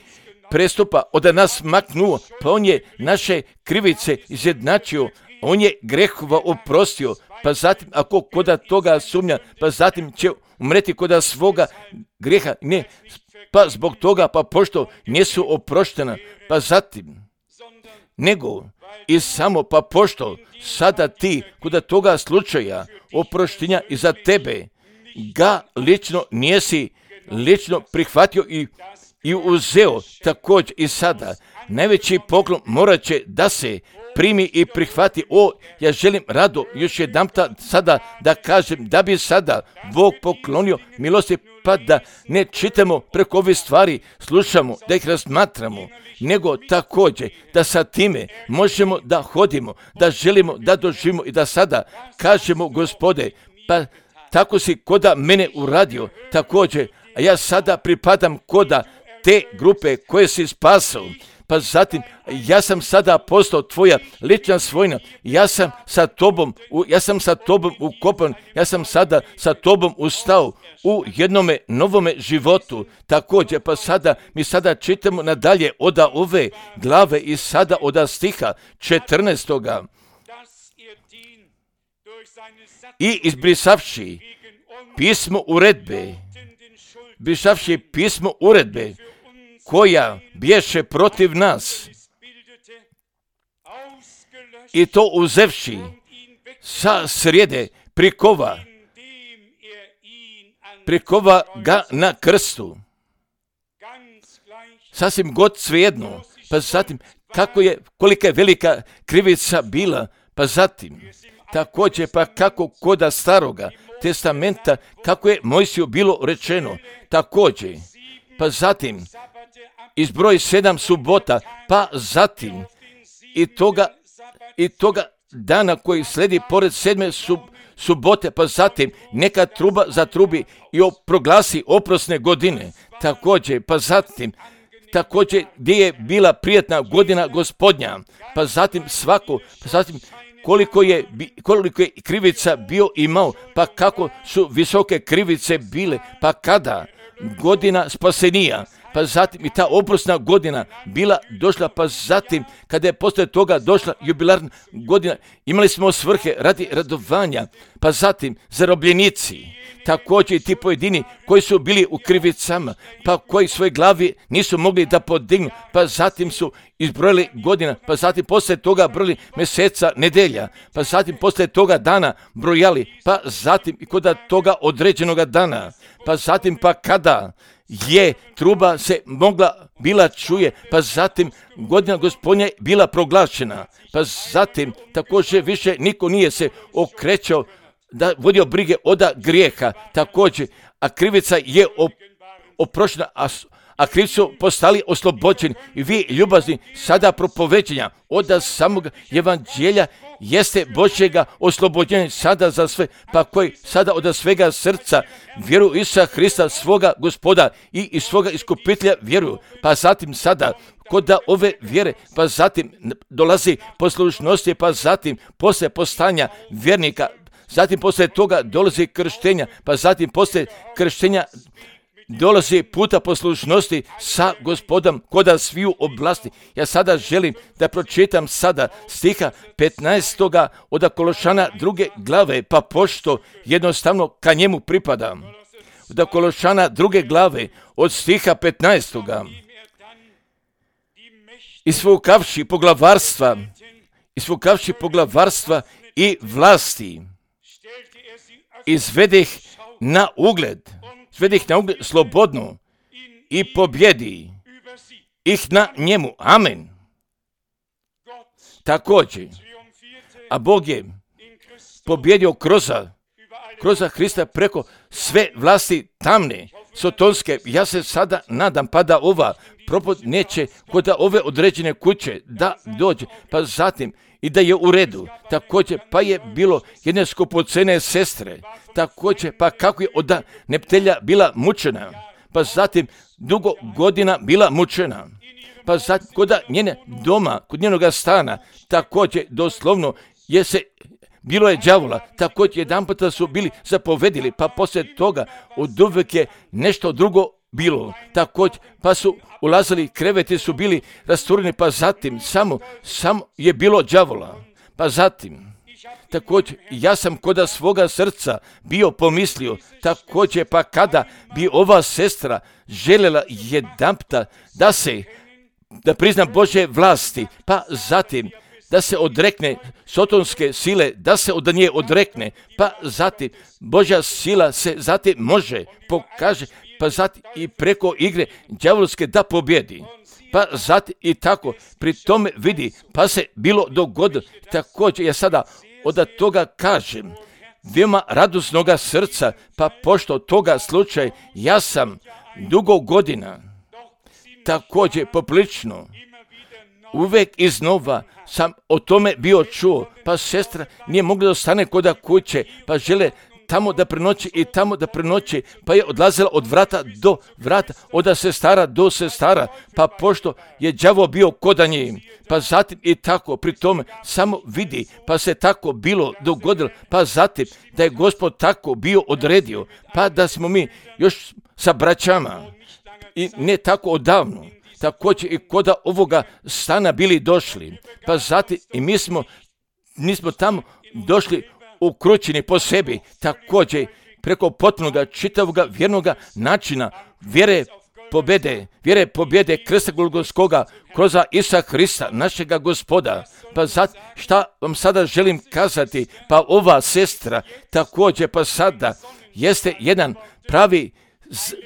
prestupa od nas maknuo, pa on je naše krivice izjednačio, on je grehova oprostio, pa zatim ako koda toga sumnja, pa zatim će umreti koda svoga greha, ne, pa zbog toga, pa pošto nisu oproštena, pa zatim, nego i samo pa pošto sada ti koda toga slučaja oproštenja i za tebe ga lično nisi lično prihvatio i i uzeo također i sada. Najveći poklon morat će da se primi i prihvati. O, ja želim rado još jedanputa sada da kažem da bi sada Bog poklonio milosti, pa da ne čitamo preko ove stvari, slušamo, da ih razmatramo, nego također da sa time možemo da hodimo, da želimo da doživimo i da sada kažemo: Gospode, pa tako si koda mene uradio, također, a ja sada pripadam koda te grupe koje si spasao, pa zatim ja sam sada postao tvoja lična svojina, ja sam sa tobom, ja sam sa tobom ukopan, ja sam sada sa tobom ustao u jednome novome životu. Također, pa sada mi sada čitamo nadalje od ove glave i sada od stiha četrnaestoga i izbrisavši pismo uredbe, brisavši pismo uredbe koja bješe protiv nas i to uzevši sa srijede prikova, prikova ga na krstu. Sasvim god svejedno, pa zatim kako je, kolika je velika krivica bila, pa zatim također pa kako koda staroga testamenta, kako je Mojsiju bilo rečeno, također, pa zatim izbroj sedam subota, pa zatim i toga, i toga dana koji sledi pored sedme sub, subote, pa zatim neka truba zatrubi i proglasi oprosne godine, također, pa zatim također gdje je bila prijatna godina Gospodnja, pa zatim svako, pa zatim koliko je, koliko je krivica bio imao, pa kako su visoke krivice bile, pa kada godina spasenija, pa zatim i ta oprosna godina bila došla, pa zatim kada je poslije toga došla jubilarna godina, imali smo svrhe radi radovanja, pa zatim zarobljenici, također i ti pojedini koji su bili u krivicama, pa koji svoje glavi nisu mogli da podignu, pa zatim su izbrojili godina, pa zatim poslije toga brojili mjeseca, nedelja, pa zatim poslije toga dana brojali, pa zatim i kod toga određenoga dana, pa zatim pa kada je truba se mogla bila čuje, pa zatim godina Gospodnja bila proglašena, pa zatim također više niko nije se okrećao da vodio brige oda grijeha, također, a krivica je oprošena, a, a krivci su postali oslobođeni i vi ljubazni sada propoveđenja oda samog evanđelja jeste Božjega oslobođenja sada za sve, pa koji sada od svega srca vjeruju Isusa Hrista svoga Gospoda i iz svoga iskupitelja vjeruju, pa zatim sada kod ove vjere, pa zatim dolazi poslušnosti, pa zatim poslije postanja vjernika, zatim poslije toga dolazi krštenja, pa zatim poslije krštenja dolazi puta poslušnosti sa Gospodom koda sviju oblasti. Ja sada želim da pročitam sada stiha petnaestoga od Kološana druge glave, pa pošto jednostavno ka njemu pripadam. Od Kološana druge glave od stiha petnaestoga Isvukavši poglavarstva, isvukavši poglavarstva i vlasti, izvedih na ugled, izvedih na ugled slobodno i pobjedi ih na njemu. Amen. Također, a Bog je pobjedio kroz, kroz Hrista preko sve vlasti tamne, sotonske. Ja se sada nadam pa da ova propod neće kod ove određene kuće da dođe, pa zatim i da je u redu. Također pa je bilo jedne skupocene sestre, također pa kako je od neptelja bila mučena, pa zatim dugo godina bila mučena, pa zatim kod njene doma, kod njenoga stana, također doslovno je se bilo je đavola, također jedan puta su bili zapovedili, pa poslije toga od uvijek je nešto drugo bilo, također pa su ulazili, kreveti su bili rastureni, pa zatim samo, samo je bilo đavola, pa zatim također ja sam koda svoga srca bio pomislio, također pa kada bi ova sestra željela jedanputa da se, da prizna Božje vlasti, pa zatim da se odrekne sotonske sile, da se od nje odrekne, pa zatim Božja sila se zatim može, pokaže, pa zatim i preko igre đavolske da pobjedi. Pa zatim i tako, pri tome vidi, pa se bilo dogodilo. Također ja sada od toga kažem, veoma radosnoga srca, pa pošto toga slučaj, ja sam dugo godina, također poprilično, uvijek iznova sam o tome bio čuo, pa sestra nije mogla da ostane koda kuće, pa žele tamo da prenoći i tamo da prenoći, pa je odlazila od vrata do vrata, od sestara do sestara, pa pošto je đavo bio koda nje, pa zatim i tako, pri tome samo vidi, pa se tako bilo dogodilo, pa zatim da je Gospod tako bio odredio, pa da smo mi još sa braćama i ne tako odavno, također i koda ovoga stana bili došli, pa zatim i mi smo, mi smo tamo došli ukrućeni po sebi, također preko potpunoga čitavoga vjernoga načina vjere pobjede, vjere pobjede krsta Golgotskoga kroz Isusa Hrista, našega Gospoda. Pa zato šta vam sada želim kazati, pa ova sestra također pa sada jeste jedan pravi,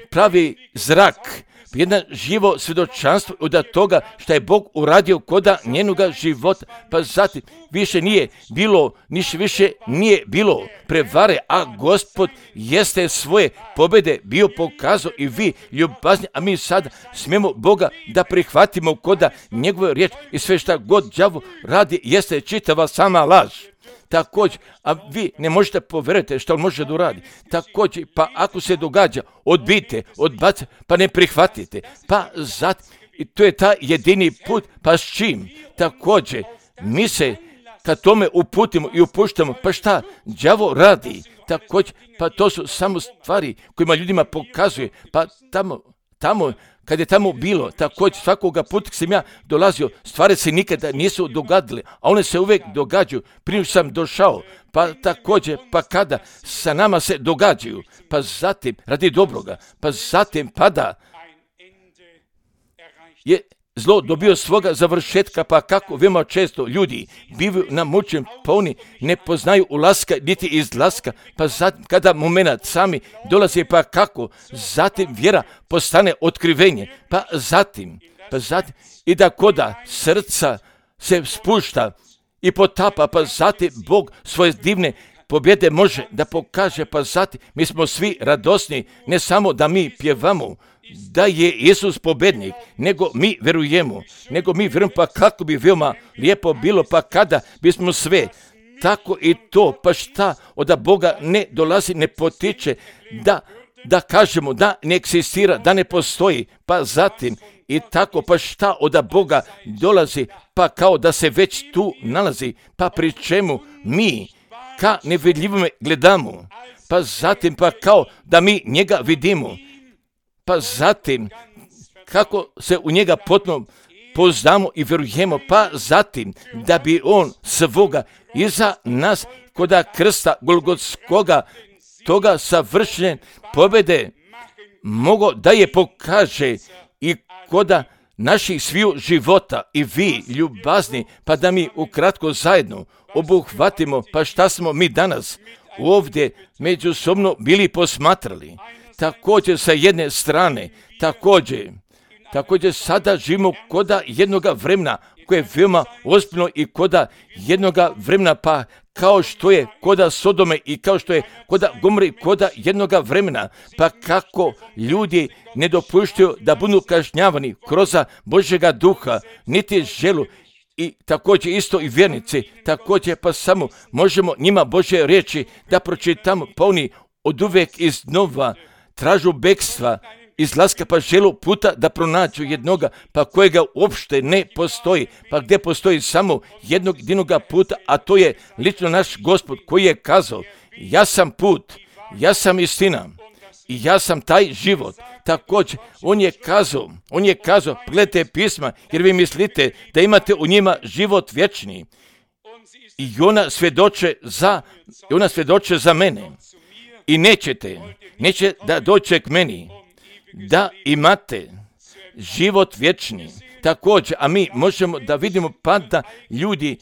pravi zrak, jedno živo svjedočanstvo od toga što je Bog uradio koda njenoga života, pa zatim više nije bilo, niš više nije bilo prevare, a Gospod jeste svoje pobjede bio pokazao i vi ljubazni, a mi sada smijemo Boga da prihvatimo koda njegove riječ i sve šta god đavo radi jeste čitava sama laž. Također, a vi ne možete povjeriti što on može da uradi. Također, pa ako se događa, odbijte, odbacite, pa ne prihvatite. Pa zato, i to je ta jedini put, pa s čim? Također, mi se kad tome uputimo i upuštamo, pa šta đavo radi? Također, pa to su samo stvari kojima ljudima pokazuje, pa tamo, tamo, kad je tamo bilo, također svakoga puta kad sam ja dolazio, stvari se nikada nisu dogadile, a one se uvijek događaju, prije sam došao, pa također, pa kada sa nama se događaju, pa zatim radi dobroga, pa zatim pada je zlo dobio svoga završetka, pa kako veoma često ljudi bivaju namučeni, pa oni ne poznaju ulaska niti izlaska, pa zatim kada momenat sami dolazi, pa kako zatim vjera postane otkrivenje, pa zatim, pa zatim i da koda srca se spušta i potapa, pa zatim Bog svoje divne pobjede može da pokaže, pa zatim mi smo svi radosni, ne samo da mi pjevamo da je Isus pobjednik, nego mi verujemo, nego mi vjerujemo, pa kako bi veoma lijepo bilo, pa kada bismo sve tako i to, pa šta od Boga ne dolazi, ne potiče, da, da kažemo da ne eksistira, da ne postoji, pa zatim i tako, pa šta od Boga dolazi, pa kao da se već tu nalazi, pa pri čemu mi ka nevidljivome gledamo, pa zatim pa kao da mi njega vidimo, pa zatim kako se u njega potpuno poznamo i vjerujemo, pa zatim da bi on svoga iza nas koda krsta Golgotskoga toga savršene pobjede mogo da je pokaže i koda naših sviju života i vi ljubazni, pa da mi ukratko zajedno obuhvatimo, pa šta smo mi danas ovdje međusobno bili posmatrali. Također sa jedne strane, također, također sada živimo koda jednoga vremena koje je veoma ozbiljno i koda jednoga vremena, pa kao što je koda Sodome i kao što je koda Gomore, koda jednoga vremena, pa kako ljudi ne dopuštaju da budu kažnjavani kroz Božjega duha, niti želu, i također isto i vjernici, također pa samo možemo njima Božje riječi da pročitamo, pa oni od uvijek iznova tražu bekstva, izlaska, pa želu puta da pronađu jednoga, pa kojega uopšte ne postoji, pa gdje postoji samo jednog jedinoga puta, a to je lično naš Gospod koji je kazao, ja sam put, ja sam istina i ja sam taj život. Također, on je kazao, on je kazao, gledajte pisma, jer vi mislite da imate u njima život vječni. I ona svjedoče za, ona svjedoče za mene. I nećete, neće da dođe k meni, da imate život vječni. Također, a mi možemo da vidimo pa da ljudi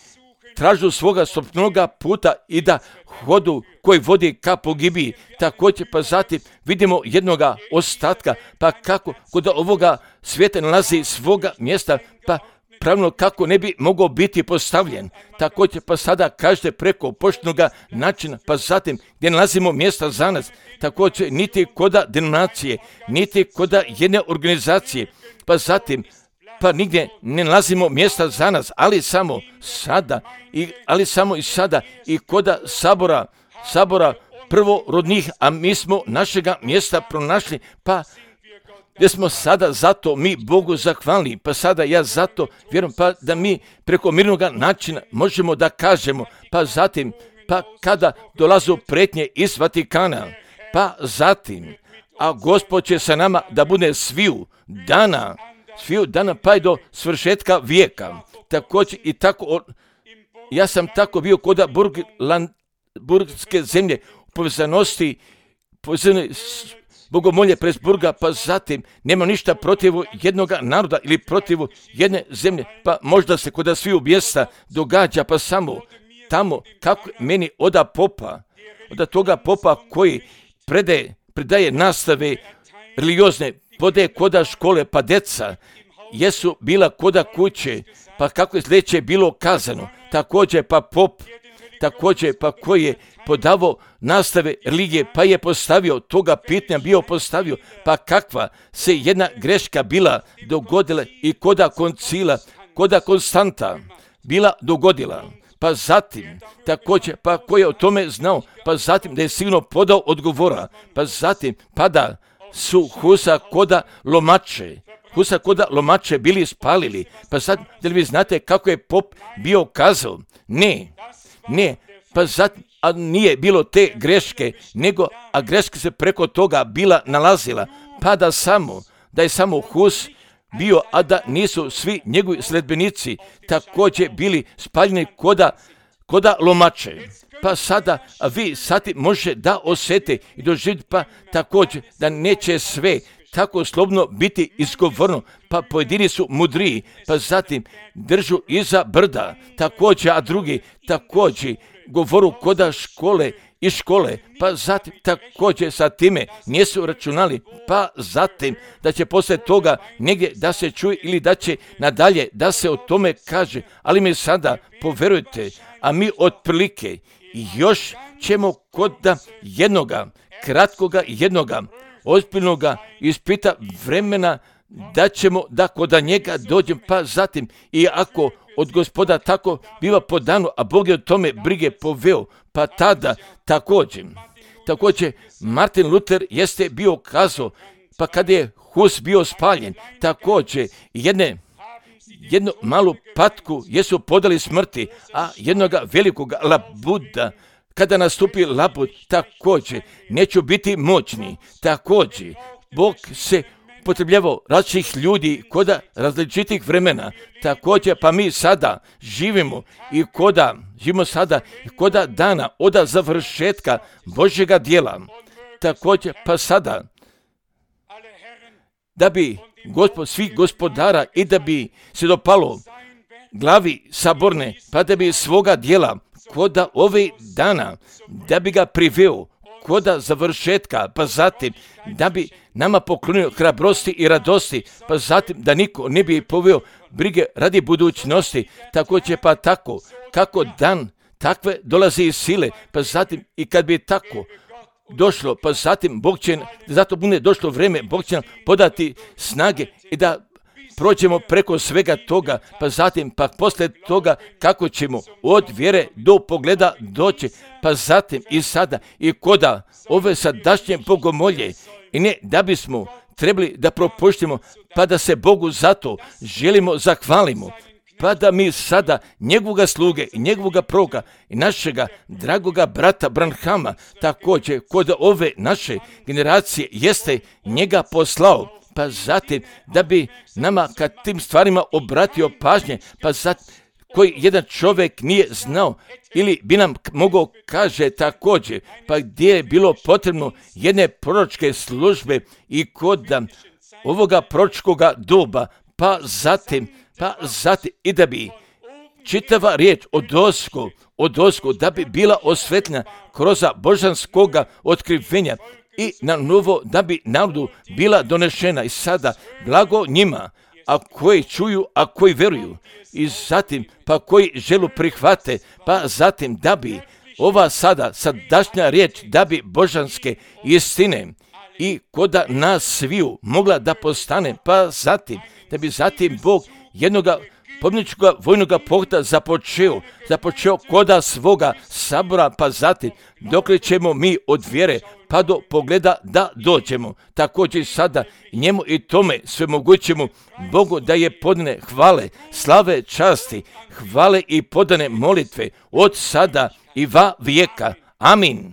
tražu svoga sopnoga puta i da hodu koji vodi ka pogibiji. Također, pa zatim vidimo jednoga ostatka, pa kako kod ovoga svijeta nalazi svoga mjesta, pa pravilno kako ne bi mogao biti postavljen. Također, pa sada kažete preko poštenoga načina, pa zatim gdje nalazimo mjesta za nas, također niti koda denominacije, niti koda jedne organizacije, pa zatim pa nigdje ne nalazimo mjesta za nas, ali samo sada, i, ali samo i sada i koda sabora, sabora prvorodnih, a mi smo našega mjesta pronašli, pa gdje smo sada zato mi Bogu zahvalni, pa sada ja zato vjerujem, pa da mi preko mirnog načina možemo da kažemo, pa zatim, pa kada dolazu pretnje iz Vatikana, pa zatim, a Gospod će sa nama da bude sviju dana, sviju dana pa i do svršetka vijeka. Također i tako, ja sam tako bio koda Burgland, burgske zemlje, povezanosti, povezane bogomolje Presburga, pa zatim nema ništa protiv jednog naroda ili protiv jedne zemlje, pa možda se kod sviju mjesta događa, pa samo tamo kako meni oda popa, oda toga popa koji predaje, predaje nastave religiozne, podaje koda škole, pa deca jesu bila koda kuće, pa kako je sljedeće bilo kazano, također pa pop, također pa koji je podavao nastave religije, pa je postavio toga pitanja, bio postavio, pa kakva se jedna greška bila dogodila i koda koncila, koda Konstanta bila dogodila, pa zatim također pa koji je o tome znao, pa zatim da je sigurno podao odgovora, pa zatim pada su husa koda lomače, Husa koda lomače bili spalili. Pa sad, da li vi znate kako je pop bio kazao? Ne, ne, pa sad, a nije bilo te greške, nego, a greška se preko toga bila nalazila, pa da samo, da je samo Hus bio, a da nisu svi njegovi sledbenici također bili spaljeni koda, koda lomače. Pa sada, a vi sati može da osjete i doživite, pa također da neće sve tako slobno biti izgovorno, pa pojedini su mudriji, pa zatim držu iza brda, također, a drugi također govoru koda škole i škole, pa zatim također sa time nisu računali, pa zatim da će poslije toga negdje da se čuje ili da će nadalje da se o tome kaže, ali mi sada poverujte, a mi otprilike još ćemo kod jednoga, kratkoga jednoga, ozbiljnoga ispita vremena da ćemo da kod njega dođem, pa zatim i ako od Gospoda tako biva podano, a Bog je o tome brige poveo, pa tada također, također Martin Luther jeste bio kazao, pa kada je Hus bio spaljen, također jedne jednu malu patku jesu podali smrti, a jednoga velikog labuda, kada nastupi labud, također neću biti moćni, također Bog se potrebljavao različitih ljudi koda različitih vremena, također pa mi sada živimo i koda, živimo sada i koda dana od završetka Božjega djela, također pa sada, da bi Gospod svih gospodara i da bi se dopalo glavi saborne, pa da bi svoga djela koda ove dana, da bi ga priveo koda završetka, pa zatim da bi nama poklonio hrabrosti i radosti, pa zatim da niko ne bi poveo brige radi budućnosti, tako će pa tako, kako dan takve dolazi iz sile, pa zatim i kad bi tako došlo, pa zatim Bog će, zato bude došlo vrijeme, Bog će nam podati snage i da prođemo preko svega toga, pa zatim, pa poslije toga kako ćemo od vjere do pogleda doći, pa zatim i sada i koda ove sadašnje bogomolje i ne da bismo trebali da propuštimo, pa da se Bogu zato želimo zahvalimo, pa da mi sada njegovoga sluge i njegovoga proroka i našega dragoga brata Branhama također kod ove naše generacije jeste njega poslao, pa zatim da bi nama kad tim stvarima obratio pažnje, pa zatim koji jedan čovjek nije znao ili bi nam mogao kaže također, pa gdje je bilo potrebno jedne proročke službe i kod ovoga proročkoga doba, pa zatim, pa zatim i da bi čitava riječ od osku, od osku, da bi bila osvetljena kroz božanskoga otkrivenja i na novo da bi narodu bila donešena i sada blago njima, a koji čuju, a koji veruju i zatim pa koji želu prihvate, pa zatim da bi ova sada sadašnja riječ da bi božanske istine i koda nas sviju mogla da postane, pa zatim da bi zatim Bog jednoga pobjedničkoga vojnoga pokreta započeo, započeo koda svoga sabora, pa zatim dokle ćemo mi od vjere pa do pogleda da dođemo. Također sada njemu i tome svemogućemu Bogu da je podane hvale, slave, časti, hvale i podane molitve od sada i va vijeka. Amin.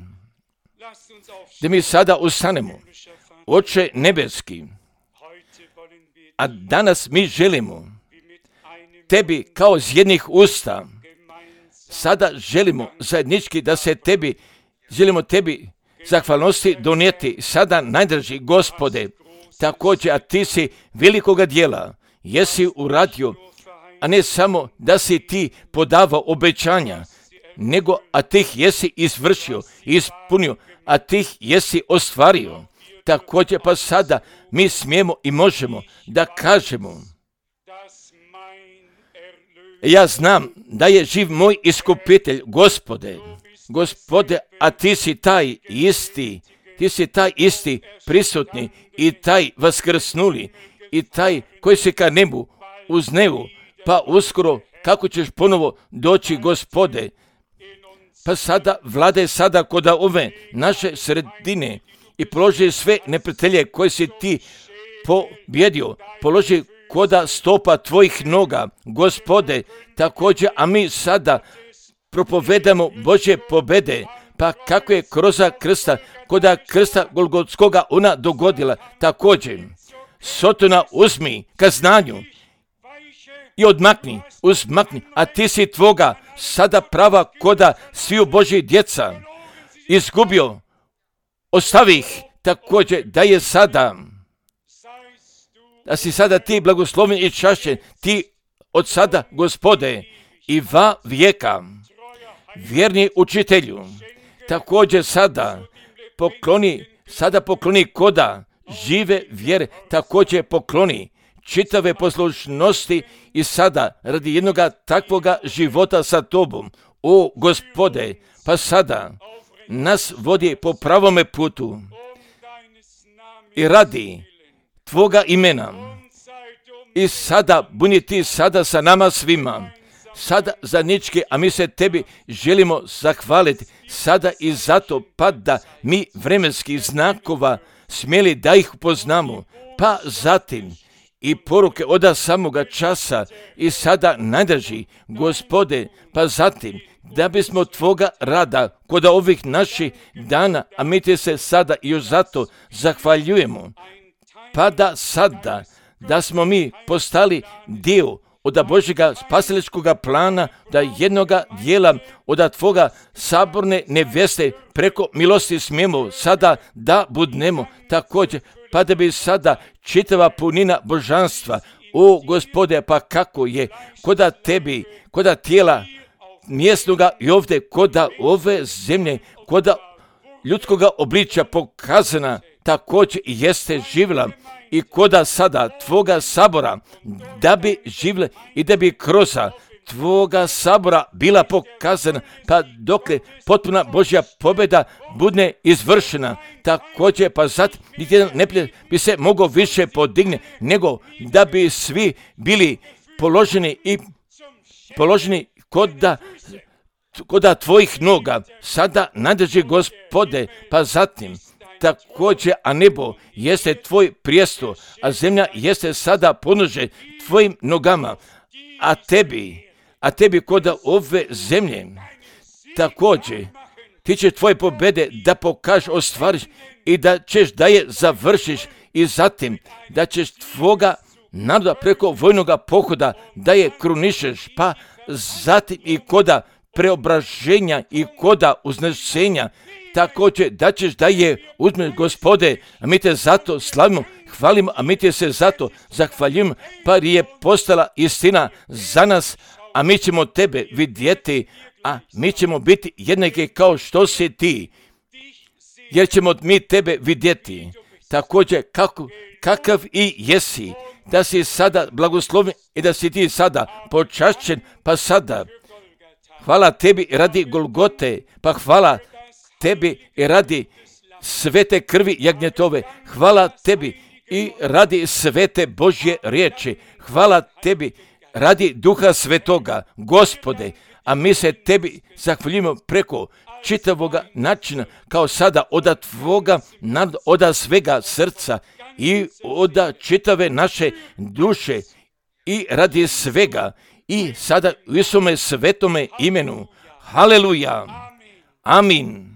Da mi sada ustanemo. Oče nebeski, a danas mi želimo tebi kao iz jednih usta, sada želimo zajednički da se tebi, želimo tebi zahvalnosti donijeti, sada najdraži Gospode, također, a ti si velikoga djela, jesi uradio, a ne samo da si ti podavao obećanja, nego a ti ih jesi izvršio, ispunio, a ti ih jesi ostvario. Također pa sada mi smijemo i možemo da kažemo, ja znam da je živ moj iskupitelj, Gospode, Gospode, a ti si taj isti, ti si taj isti prisutni i taj vaskrsnuli i taj koji si ka nebu uz nebu, pa uskoro kako ćeš ponovo doći, Gospode, pa sada vlade sada koda ove naše sredine i položi sve neprijatelje koje si ti pobjedio, položi koda stopa tvojih noga, Gospode, također, a mi sada propovedamo Božje pobede, pa kako je kroz krsta, koda krsta Golgotskoga ona dogodila, također, Sotona uzmi ka znanju i odmakni, uzmakni, a ti si tvoga sada prava koda sviju Božji djeca izgubio, ostavi ih, također da je sada, da si sada ti blagosloven i čašćen, ti od sada, Gospode, i va vijeka, vjerni učitelju, također sada pokloni, sada pokloni koda žive vjere, također pokloni čitave poslušnosti i sada radi jednoga takvoga života sa tobom, o Gospode, pa sada nas vodi po pravome putu i radi tvoga imena. I sada buni ti sada sa nama svima, sada zajednički, a mi se tebi želimo zahvaliti sada i zato pa da mi vremenskih znakova smjeli da ih upoznamo, pa zatim i poruke od samoga časa i sada najdrži, Gospode, pa zatim da bismo tvoga rada kod ovih naših dana, a mi ti se sada i još zato zahvaljujemo, pa da sada da smo mi postali dio od Božjega spasiličkoga plana, da jednoga dijela od tvoga saborne neveste preko milosti smijemo sada da budnemo također, pa da bi sada čitava punina božanstva, o Gospode, pa kako je koda tebi, koda tijela mjesnoga i ovdje koda ove zemlje, koda ljudskoga obličja pokazana, također i jeste živjela i koda sada tvoga sabora, da bi živjela i da bi kroz tvoga sabora bila pokazana, pa dokle potpuna Božja pobjeda bude izvršena, također pa zatim niti jedan neprijatelj bi se mogao više podigne, nego da bi svi bili položeni i položeni koda, koda tvojih noga, sada nadrži, Gospode, pa zatim također, a nebo jeste tvoj prijestol, a zemlja jeste sada ponuže tvojim nogama, a tebi, a tebi koda ove zemlje, također, ti će tvoje pobjede da pokažeš, ostvariš i da ćeš da je završiš i zatim da ćeš tvoga naroda preko vojnoga pohoda da je krunišeš, pa zatim i koda preobraženja i koda uznešenja, također da ćeš da je uzmeš, Gospode, a mi te zato slavimo, hvalimo, a mi te se zato zahvaljujemo, pa je postala istina za nas, a mi ćemo tebe vidjeti, a mi ćemo biti jednaki kao što si ti, jer ćemo mi tebe vidjeti, također kako, kakav i jesi, da si sada blagosloven i da si ti sada počašćen, pa sada hvala tebi radi Golgote, pa hvala tebi i radi svete krvi jagnjetove, hvala tebi i radi svete Božje riječi, hvala tebi radi Duha Svetoga, Gospode, a mi se tebi zahvaljujemo preko čitavoga načina, kao sada od tvoga, od svega srca i od čitave naše duše i radi svega i sada u Isome svetome imenu. Haleluja. Amin.